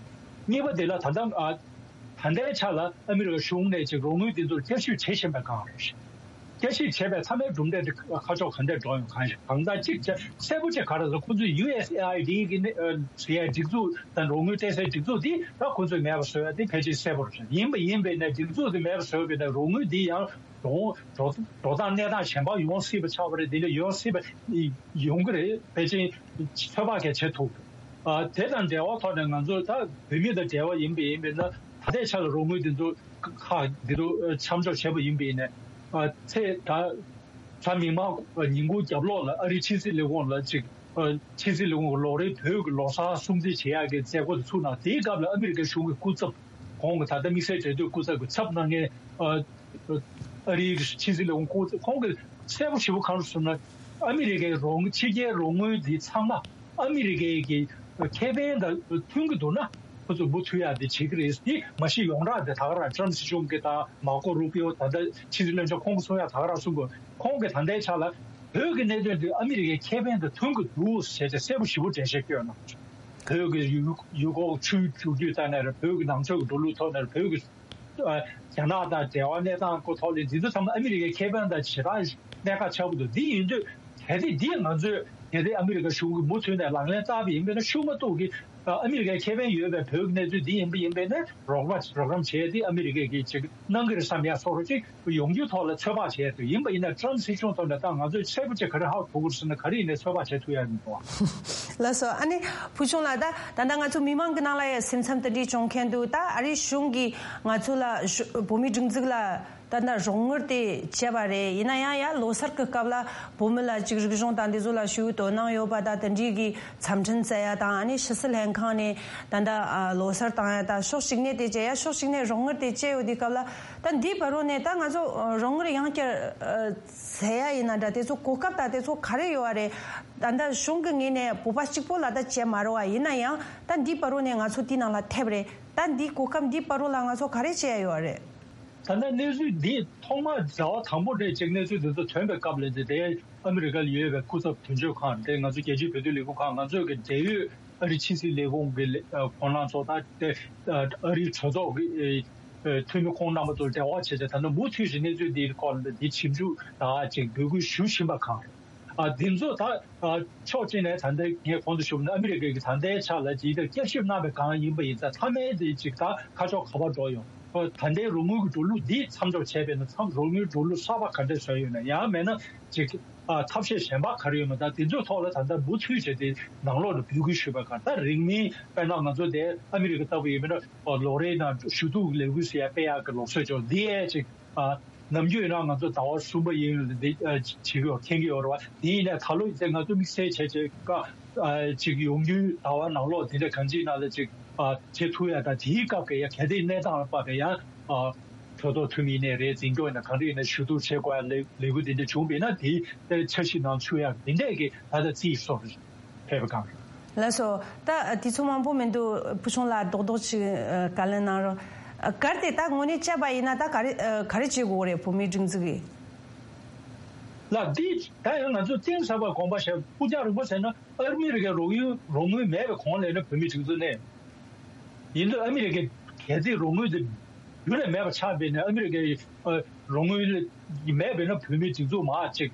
གཉིས་པ་དེ་ལ་ད་ལྟ། ཨ། ད་ལྟའི་ཆ་ལ་ཨ་མི་རི་ཀ་གཞུང་ནས་ཅིག་རོགས་དངུལ་འདི་ཚོར་བསྐྱར་ཞིབ་བྱེད་བཞིན་པའི་སྒང་རེད། བསྐྱར་ཞིབ་བྱས་པའི་མཐའ་མའི་གྲུབ་འབྲས་དེ་ཁ་ཕྱོགས་ག་འདྲས་འགྲོ་ཡོང་གང་ཞིག་གང་ལྟར་གཅིག་བྱས་གསལ་པོ་བྱས་ག་རེ་ཟེར། ཁོང་ཚོས་ཡུ་ཨེས་ཨེ་ཨའི་ཌི་གི་ནི་ཨ་ཟེར་ཡའི་སྒྲིག་འཛུགས་དང་རོགས་དངུལ་སྤྲད་སའི་སྒྲིག་འཛུགས་དེ་ད་ཁོང་ཚོས་མེད་པ་བཟོ་ཡ་དེ་ཕལ་ཆེར་གསལ་པོ་རེད། ཡིན་པ་ཡིན་པས་ན་སྒྲིག་འཛུགས་དེ་མེད་པ་བཟོས་པས་ན་རོགས་དངུལ་འདི་ཡང་འགྲོ་འགྲོ་འགྲོ་སྟངས་གནས་སྟངས་གཞན་པ་ཡོང་སྲིད་པ་ཆགས་པ་རེད། དེ་འདྲ་ཡོང་སྲིད་པ་ཡོང་གི་རེད། ཕལ་ཆེར་ཚོད་དཔག་གས་བྱེད་ཐུབ། ཨ། དེ་དང་འབྲེལ་བ་ཐོག་ནས་ང་ཚོ་ད་བོད་མི་དང་འབྲེལ་བ་ཡིན་པ་ཡིན་པས་ན། ད་ལྟའི་ཆ་ལ་རོགས་དངུལ་འདི་ཚོ་ཁག་འདི་ཚོ་མཚམས་འཇོག་བྱས་པ་ཡིན་པ་ཡིན་ནས། ཨ། ཚེ་ད་གཟའ་མིག་དམར་ཉིན་གུང་རྒྱབ་ལོགས་ལ་ཨ་རིའི་ཕྱི་སྲིད་ལས་ཁུངས་ལ་ཅིག་ཨ། ཕྱི་སྲིད་ལས་ཁུངས་ལོ་རེའི་བོད་ཀྱི་ལོ་གསར་སྲུང་བརྩི་བྱེད་ཡག་གི་མཛད་སྒོ་དེ་ཚུགས་གནང་། དེའི་སྐབས་ལ་ཨ་མི་རི་ཀའི་གཞུང་གི་སྐུ་ཚབ། ཁོང་གི་ད་ལྟ་དམིགས་བསལ་འབྲེལ་མཐུད་སྐུ་ཚབ་ཀྱི་ཚབ་གནང་མཁན། ཨ། ཨ་རིའི་ཕྱི་སྲིད་ལས་ཁུངས་སྐུ་ཚབ། ཁོང་གིས་གསལ་པོ་ཞེ་པོ་གང་རེད་ཟེར་ན། ཨ་མི་རི་ཀའི་རོགས་ཕྱི་རྒྱལ་རོགས་དངུལ་འདི་ཚང་མ་ཨ་མི་རི་ཀའི་གི་ཁེ་ཕན་དང་མཐུན་གྱི་འདུག་ན། ཁོ་ཚོས་མུ་མཐུད་ཡག་དེ་བྱེད་ཀྱི་རེད། དེ་མ་གཞི་ཡོངས་གྲགས་དེ་ད་ག་རང་ཊམ་སྲིད་གཞུང་གི་དང་མར་ཀོ་རུ་པིའོ་ད་ལྟ་ཕྱི་སྲིད་བློན་ཆེན་ཁོང་གིས་གསུང་ཡག་ད་ག་རང་གསུང་དགོས། ཁོང་གིས་ད་ལྟའི་ཆ་ལ་བོད་ཀྱི་གནད་དོན་དེ་ཨ་མི་རི་ཀའི་ཁེ་ཕན་དང་མཐུན་གྱི་འདུག་ཟེར་བྱས་གསལ་པོ་ཞེ་པོ་འགྲེལ་བཤད་བསྐྱོན་གནང་། བོད་ཀྱི་ཡུལ་ཡུལ་སྐོར་ཆུའི་འགྲོ་རྒྱུད་ཐོག་ནས་རེད། བོད་ཀྱི་ནང་ཆོས་ཀྱི་འགྲོ་ལུགས་ཐོག་ནས་རེད། བོད་ཀྱི་ཨ། རྒྱ་ནག་དང་འབྲེལ་བ་གནས་སྟངས་སྐོར་ཐོག་ལ་འདི་ཚོ་ཚང་མ་ཨ་མི་རི་ཀའི་ཁེ་ཕན་དང་ཞེ་དྲག་གནད་འགག་ཆགས་ཀྱི་འདུག་འདི་ཡིན་དུས་གལ་ཏེ་འདི་ང་ཚོས་གལ་ཏེ་ཨ་མི་རི་ཀ་གཞུང་གིས་མུ་མཐུད་ནས་ལག་ལེན་བསྟར་བ་ཡིན་པས་ན། ཤུགས་མ་གཏོགས་ཀྱི་ཨ་མི་རི་ཀའི་ཁེ་ཕན་ཡོད་པའི་བོད་ཀྱི་གནས་ཚུལ་འདི་ཡིན་པ་ཡིན་པས་ན། རོགས་པ་རོགས་རམ་བྱས་ཏེ་ཨ་མི་རི་ཀས་ཀྱིས་ཅིག་གནང་གི་རེད་བསམ་ཡ་བཟོ་འདྲ་ཅིག་ཡོང་རྒྱུའི་ཐོག་ལ་ཚོད་དཔག་བྱས་འདུག་ཡིན་པ་ཡིན་ན་ཊམ་སྲིད་གཞུང་ཐོག་ནས་ད་ང་ཚོས་གསལ་པོ་ཅིག་ག་རེ་ཧ་གོ་དགོས་ཟེར་ན། ག་རེ་ཡིན་ནའི་ཚོད་དཔག་བྱེད་ཐུབ་ཡ་མི་འདུག་ལགས་སོ། ཨ་ནི་བུ་ཆུང་ལགས། ད་ད་ལྟ་ང་ཚོ་མི་མང་གི་ནང་ལ་ཡང་སེམས་འཚབ་དེ་འདྲ་བྱུང་མཁན་འདུག་ད་ཨ་རིའི་གཞུང་གིས་ང་ཚོ་ལ་ཞུ་བོད་མིའི་སྒྲིག་འཛུགས་ལ་ད་ལྟ་རོགས་དངུལ་དེ་བྱས་པ་རེད། ཡིན་ན་ཡང་ཡ་ལོ་གསར་གྱི་སྐབས་ལ་བོད་མི་ལ་ཅིག་རིག་གཞུང་དང་འདི་ཚོ་ལ་ཞུ་དོ་སྣང་ཡོད་པ་དང་དེ་འདྲའི་གི་འཚམས་འཕྲིན་བསྩལ་ཡ་དང་། ཨ་ནི་ཕྱི་སྲིད་ལྷན་ཁང་ནས་ད་ལྟ་ཨ་ལོ་གསར་བཏང་ཡ་དང་། ཕྱོགས་གཅིག་ནས་དེ་བྱས་ཡ། ཕྱོགས་གཅིག་ནས་རོགས་དངུལ་དེ་བྱས་ཡོད་དུས་སྐབས་ལ། ད་འདིའི་བར་དུ་ནས་ད་ང་ཚོ་ཨ་རོགས་དངུལ་ཡང་བསྐྱར་ཨ་བཙལ་ཡ་ཡིན་ན་འདྲ། དེ་ཚོ་གོ་སྐབས་དང་དེ་ཚོ་ག་རེ་ཡོད་པ་རེད། ད་ལྟ་གཞུང་གི་ངོས་ནས་བོད་པ་གཅིག་པོ་ལ་ད་བྱས་མ་རེད་པ། ཡིན་ན་ཡང་ད་འདིའི་བར་དུ་ནས་ང་ཚོ་དེའི་ནང་ལ་ཐེབས་རེད། ད་འདིའི་གོ་སྐབས་འདིའི་བར་དུ་ལ་ང་ཚོ་ག་རེ་བྱས་ཡ་ཡོད་པ་རེད། ད་ལྟ་གནས་ཚུལ་འདི་ཐོག་མར་ཟླ་བ་དང་པོ་དེར་ཅིག་གནས་ཚུལ་འདི་ཚོ་ཐོན་པའི་སྐབས་ལ། དེ་དེ་ཨ་མི་རི་ཀ་ལ་ཡོད་པའི་སྐུ་ཚབ་དོན་གཅོད་ཁང་དེ། ང་ཚོ་རྒྱལ་སྤྱིའི་བོད་དོན་ལས་ཁུངས་ཁང་། ང་ཚོས་ཀྱི་འབྲེལ་ཡོད་ཨ་རིའི་ཕྱི་སྲིད་ལས་ཁུངས་ཀྱི་ལས་ཨ་ཁོང་རྣམ་ཚོ་དང་། དེ་ཨ་རིའི་གྲོས་ཚོགས་ཀྱི་ཨ་འཐུས་མི་ཁོང་རྣམ་པ་ཚོར་འབྲེལ་བ་བྱས་བྱས། ད་ལྟ་མུ་མཐུད་ཅིག་གནས་ཚུལ་འདིའི་སྐོར་ལ་འདི་ཞིབ་འཇུག་དང་ཅིག་འབོད་སྐུལ་ཞུ་བཞིན་པ་གང་རེད། ཨ། འདི་ཚོ་ད་ཨ་ཕྱོགས་གཅིག་ནས་ད་ལྟ་ངས་གོང་དུ་ཞུས་པ་ནང་ཨ་མི་རི་ཀ་གིས་ད་ལྟའི་ཆ་ལ་ཇི་ལྟར་བསྐྱར་ཞིབ་གནང་བའི་སྒང་ཡིན་པ་ཡིན་ཙང་། མཐའ་མའི་དེ་ཅིག་ད་ཁ་ཕྱོགས་ག་པར་འགྲོ་ཡོང་། ཨ། ད་ལྟའི་རོགས་དངུལ་གྱི་འགྲོ་ལུགས་འདི་མཚམས་འཇོག་བྱས་པས་ན། མཚམས་རོགས་དངུལ་འགྲོ་ལུགས་གསར་པ་ག་འདྲ་བཟོས་ཡོད་ན། ཡང་མེད་ན་ཅིག་ཨ་ཐབས་ཤེས་གཞན་པ་ག་རེ་ཡོད་ན། ད་དེ་ཚོའི་ཐོག་ལ་ད་ལྟ་མུ་མཐུད་བྱས་ཏེ་ནང་ལོགས་ལ་འབོད་སྐུལ་ཞུས་པ་གང་། ད་རིང་མིན་དཔེར་ན་ང་ཚོ་དེ་ཨ་མི་རི་ཀ་ལྟ་བུ་ཡིན་པ་ན། ཨ། ལོ་རེའི་ནང་ཞུ་གཏུག་ལས་འགུལ་ཟེར་ཡ་སྤེལ་ཡག་གི་ལུགས་སྲོལ་ཅིག་འདི་ཡས་ཅིག་ཨ། ནམ་རྒྱུན་ཡིན་ན་ང་ཚོ་ཟླ་བ་གསུམ་པ་ཡིན་འདི་ཨ་བྱེད་ཀྱི་ཡོད། མཁྱེན་གྱི་ཡོད་རེད་པ། དེ་ཡིན་ནའི་ད་ལོ་ཡིན་ཚེ་ང་ཚོ་དམིགས་བསལ་བྱས་བྱས་ཀ་ཨ་ཅིག་ཡོང་རྒྱུའི་ཟླ་བ་ནང་ལོགས་དེ་འདྲ་གང་ཅིའི་ནང་ལ་ཅིག་ཨ་བྱེད་ཐུབ་ཡ་དང་། དེའི་སྐབས་ཀྱི་ཡ་གལ་ཏེ་གནས་སྟངས་ལ་དཔག་པའི་ཡང་ཨ་གྲོས་ཚོགས་འཐུས་མི་ཡིན་ནའི་རེད། འཛིན་སྐྱོང་ཡིན་ན་གང་འདྲ་ཡིན་ན་ཞུ་གཏུག་བྱེད་དགོས་ཡ་ལས་ལས་འགུལ་དེ་འདྲ་བྱུང་བ་ཡིན་ན། དེའི་དེར་འཆར་གཞི་ནང་ཚུད་ཡ་དེ་འདྲས་ཀྱི་ད་ལྟ་རྩིས་སོ་རེད། ཕེབས་པ་གང་རེད། ལགས་སོ། ད་དུས་ཚོད་མང་པོ་མི་འདུག་བུ་ཆུང་ལགས་རྡོག་རྡོག་ཅིག་ཨ་བཀའ་ལན་གནང་རོགས། ཨ་གལ་ཏེ་ད་དངོས་གནས་བཅར་བ་ཡིན་ན་ད་ག་རེ་ཨ་ག་རེ་བྱེད་དགོས་རེད། བོད་མིའི་སྒྲིག་འཛུགས་ཀྱིས། ལགས། འདི་ད་ཡང་ང་ཚོ་གཏིང་ཟབ་པ་དགོངས་པ་བཞེས། ཕུགས་རྒྱང་རིང་པོ་ཟེར་ན། ཨ་མི་རི་ཀའི་རོགས་ཡུལ་རོགས་དངུལ་མེད་པའི་གོང་ལ་ཡིན་ན་བོད་མིའི་སྒྲིག་འཛུགས་གནས། ཡིན་དུས་ཨ་མི་རི་ཀའི་གལ་སྲིད་རོགས་དངུལ་དེ་རྒྱུན་ལས་མེད་པ་ཆགས་པས་ན། ཨ་མི་རི་ཀའི་ཨ་རོགས་དངུལ་མེད་པས་ན་བོད་མིའི་སྒྲིག་འཛུགས་མར་ཅིག་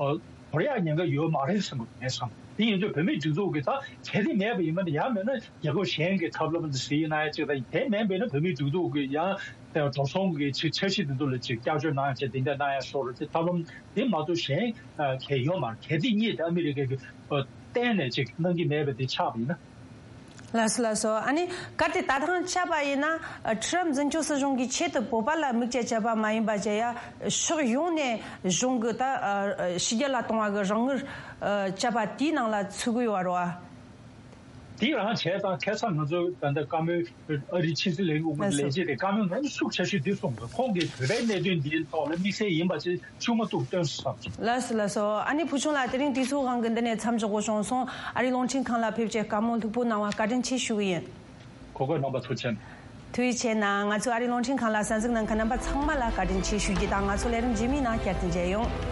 ཨ་དོར་ཡག་ཉེན་ཁ་ཡོད་མ་རེད་བསམ་གྱི་ངས་བསམ། དེ་ཡིན་དུས་བོད་མིའི་སྒྲིག་འཛུགས་ཀྱི་ད་གལ་སྲིད་མེད་པ་ཡིན་པ་ན། ཡང་མེད་ན་རྒྱལ་ཁབ་གཞན་གྱི་ཐབས་ལམ་དེ་གཟིགས་གནང་ཡག་ཅིག་དང་། དེ་མེད་པས་ན་བོད་མིའི་སྒྲིག་འཛུགས་ཀྱི་ཡང་དེ་འགྲོ་སོང་གི་ཆ་ཆ་གཞི་དེ་ཚོ་ལ་ཅིག་བསྐྱར་བཅོས་གནང་ཡག་ཅིག་དེ་འདྲ་གནང་ཡག་སོགས་རེད། དེ་ཐབས་ལམ་དེ་མ་གཏོགས་གཞན་གལ་ཡོད་མ་རེད། གལ་སྲིད་གཉིས་དེ་ཨ་མི་རི་ཀའི་གི་གཏན་ནས་ཅིག་གནང་གི་མེད་པ་དེ་ཆགས་པ་ཡིན་ན། ལགས་སོ། ལགས་སོ། ཨ་ནི་གལ་ཏེ་ད་ཐེངས་བཅར་བ་ཡིན་ན། ཨ་ཁྲི་རབས་འཛིན་སྐྱོང་སྲིད་གཞུང་གིས་ཆེད་དུ་བོད་པ་ལ་དམིགས་བཅས་བཅར་བ་མ་ཡིན་པ་བྱས་ཡ། ཕྱོགས་ཡོངས་ནས་གཞུང་གི་ད་ཨ་ཕྱི་རྒྱལ་ལ་གཏོང་བ་གི་རོགས་དངུལ་ཨ་བཅར་བ་དེའི་ནང་ལ་ཚུད་ཀྱི་ཡོད་རེད་པ། དེ་རང་བྱས་ཙང་ཁ་སང་ང་ཚོ་ད་ལྟ་བཀའ་མོལ། ཨ་རིའི་ཕྱི་སྲིད་ལས་ཁུངས་ལས་བྱེད་དེ་བཀའ་མོལ་ངོ་མ་ཤུགས་ཆེ་ཤོས་འདི་གསུངས་འདུག་ཁོང་གིས་བོད་པའི་གནད་དོན་འདིའི་ཐོག་ལ་དམིགས་བསལ་ཡིན་པ་ཅིག་ཤུགས་མ་གཏོགས་སྟོན་སོང་། ལགས་སོ། ལགས་སོ། ཨ་ནི་བུ་ཆུང་ལགས། དེ་རིང་དུས་ཚོད་དབང་གིས་འདི་ནས་མཚམས་འཇོག་དགོས་བྱུང་སོང་། ཨ་རིའི་རླུང་འཕྲིན་ཁང་ལ་ཕེབས་བྱས་བཀའ་མོལ་ལྷུག་པོ་གནང་བ་བཀའ་དྲིན་ཆེ་ཞུ་གི་ཡིན། གོ་སྐབས་གནང་བ་ཐུགས་རྗེ་ཆེ། ཐུགས་རྗེ་ཆེ་གནང་། ང་ཚོའི་ཨ་རིའི་རླུང་འཕྲིན་ཁང་ལ་གསན་གཟིགས་གནང་མཁན་རྣམ་པ་ཚང་མ་ལ་བཀའ་དྲིན་ཆེ་ཞུ་རྒྱུ་དང་། ང་ཚོ་ལས་རིམ་རྗེས་མའི་ནང་བསྐྱར་དུ་མཇལ་ཡོང་།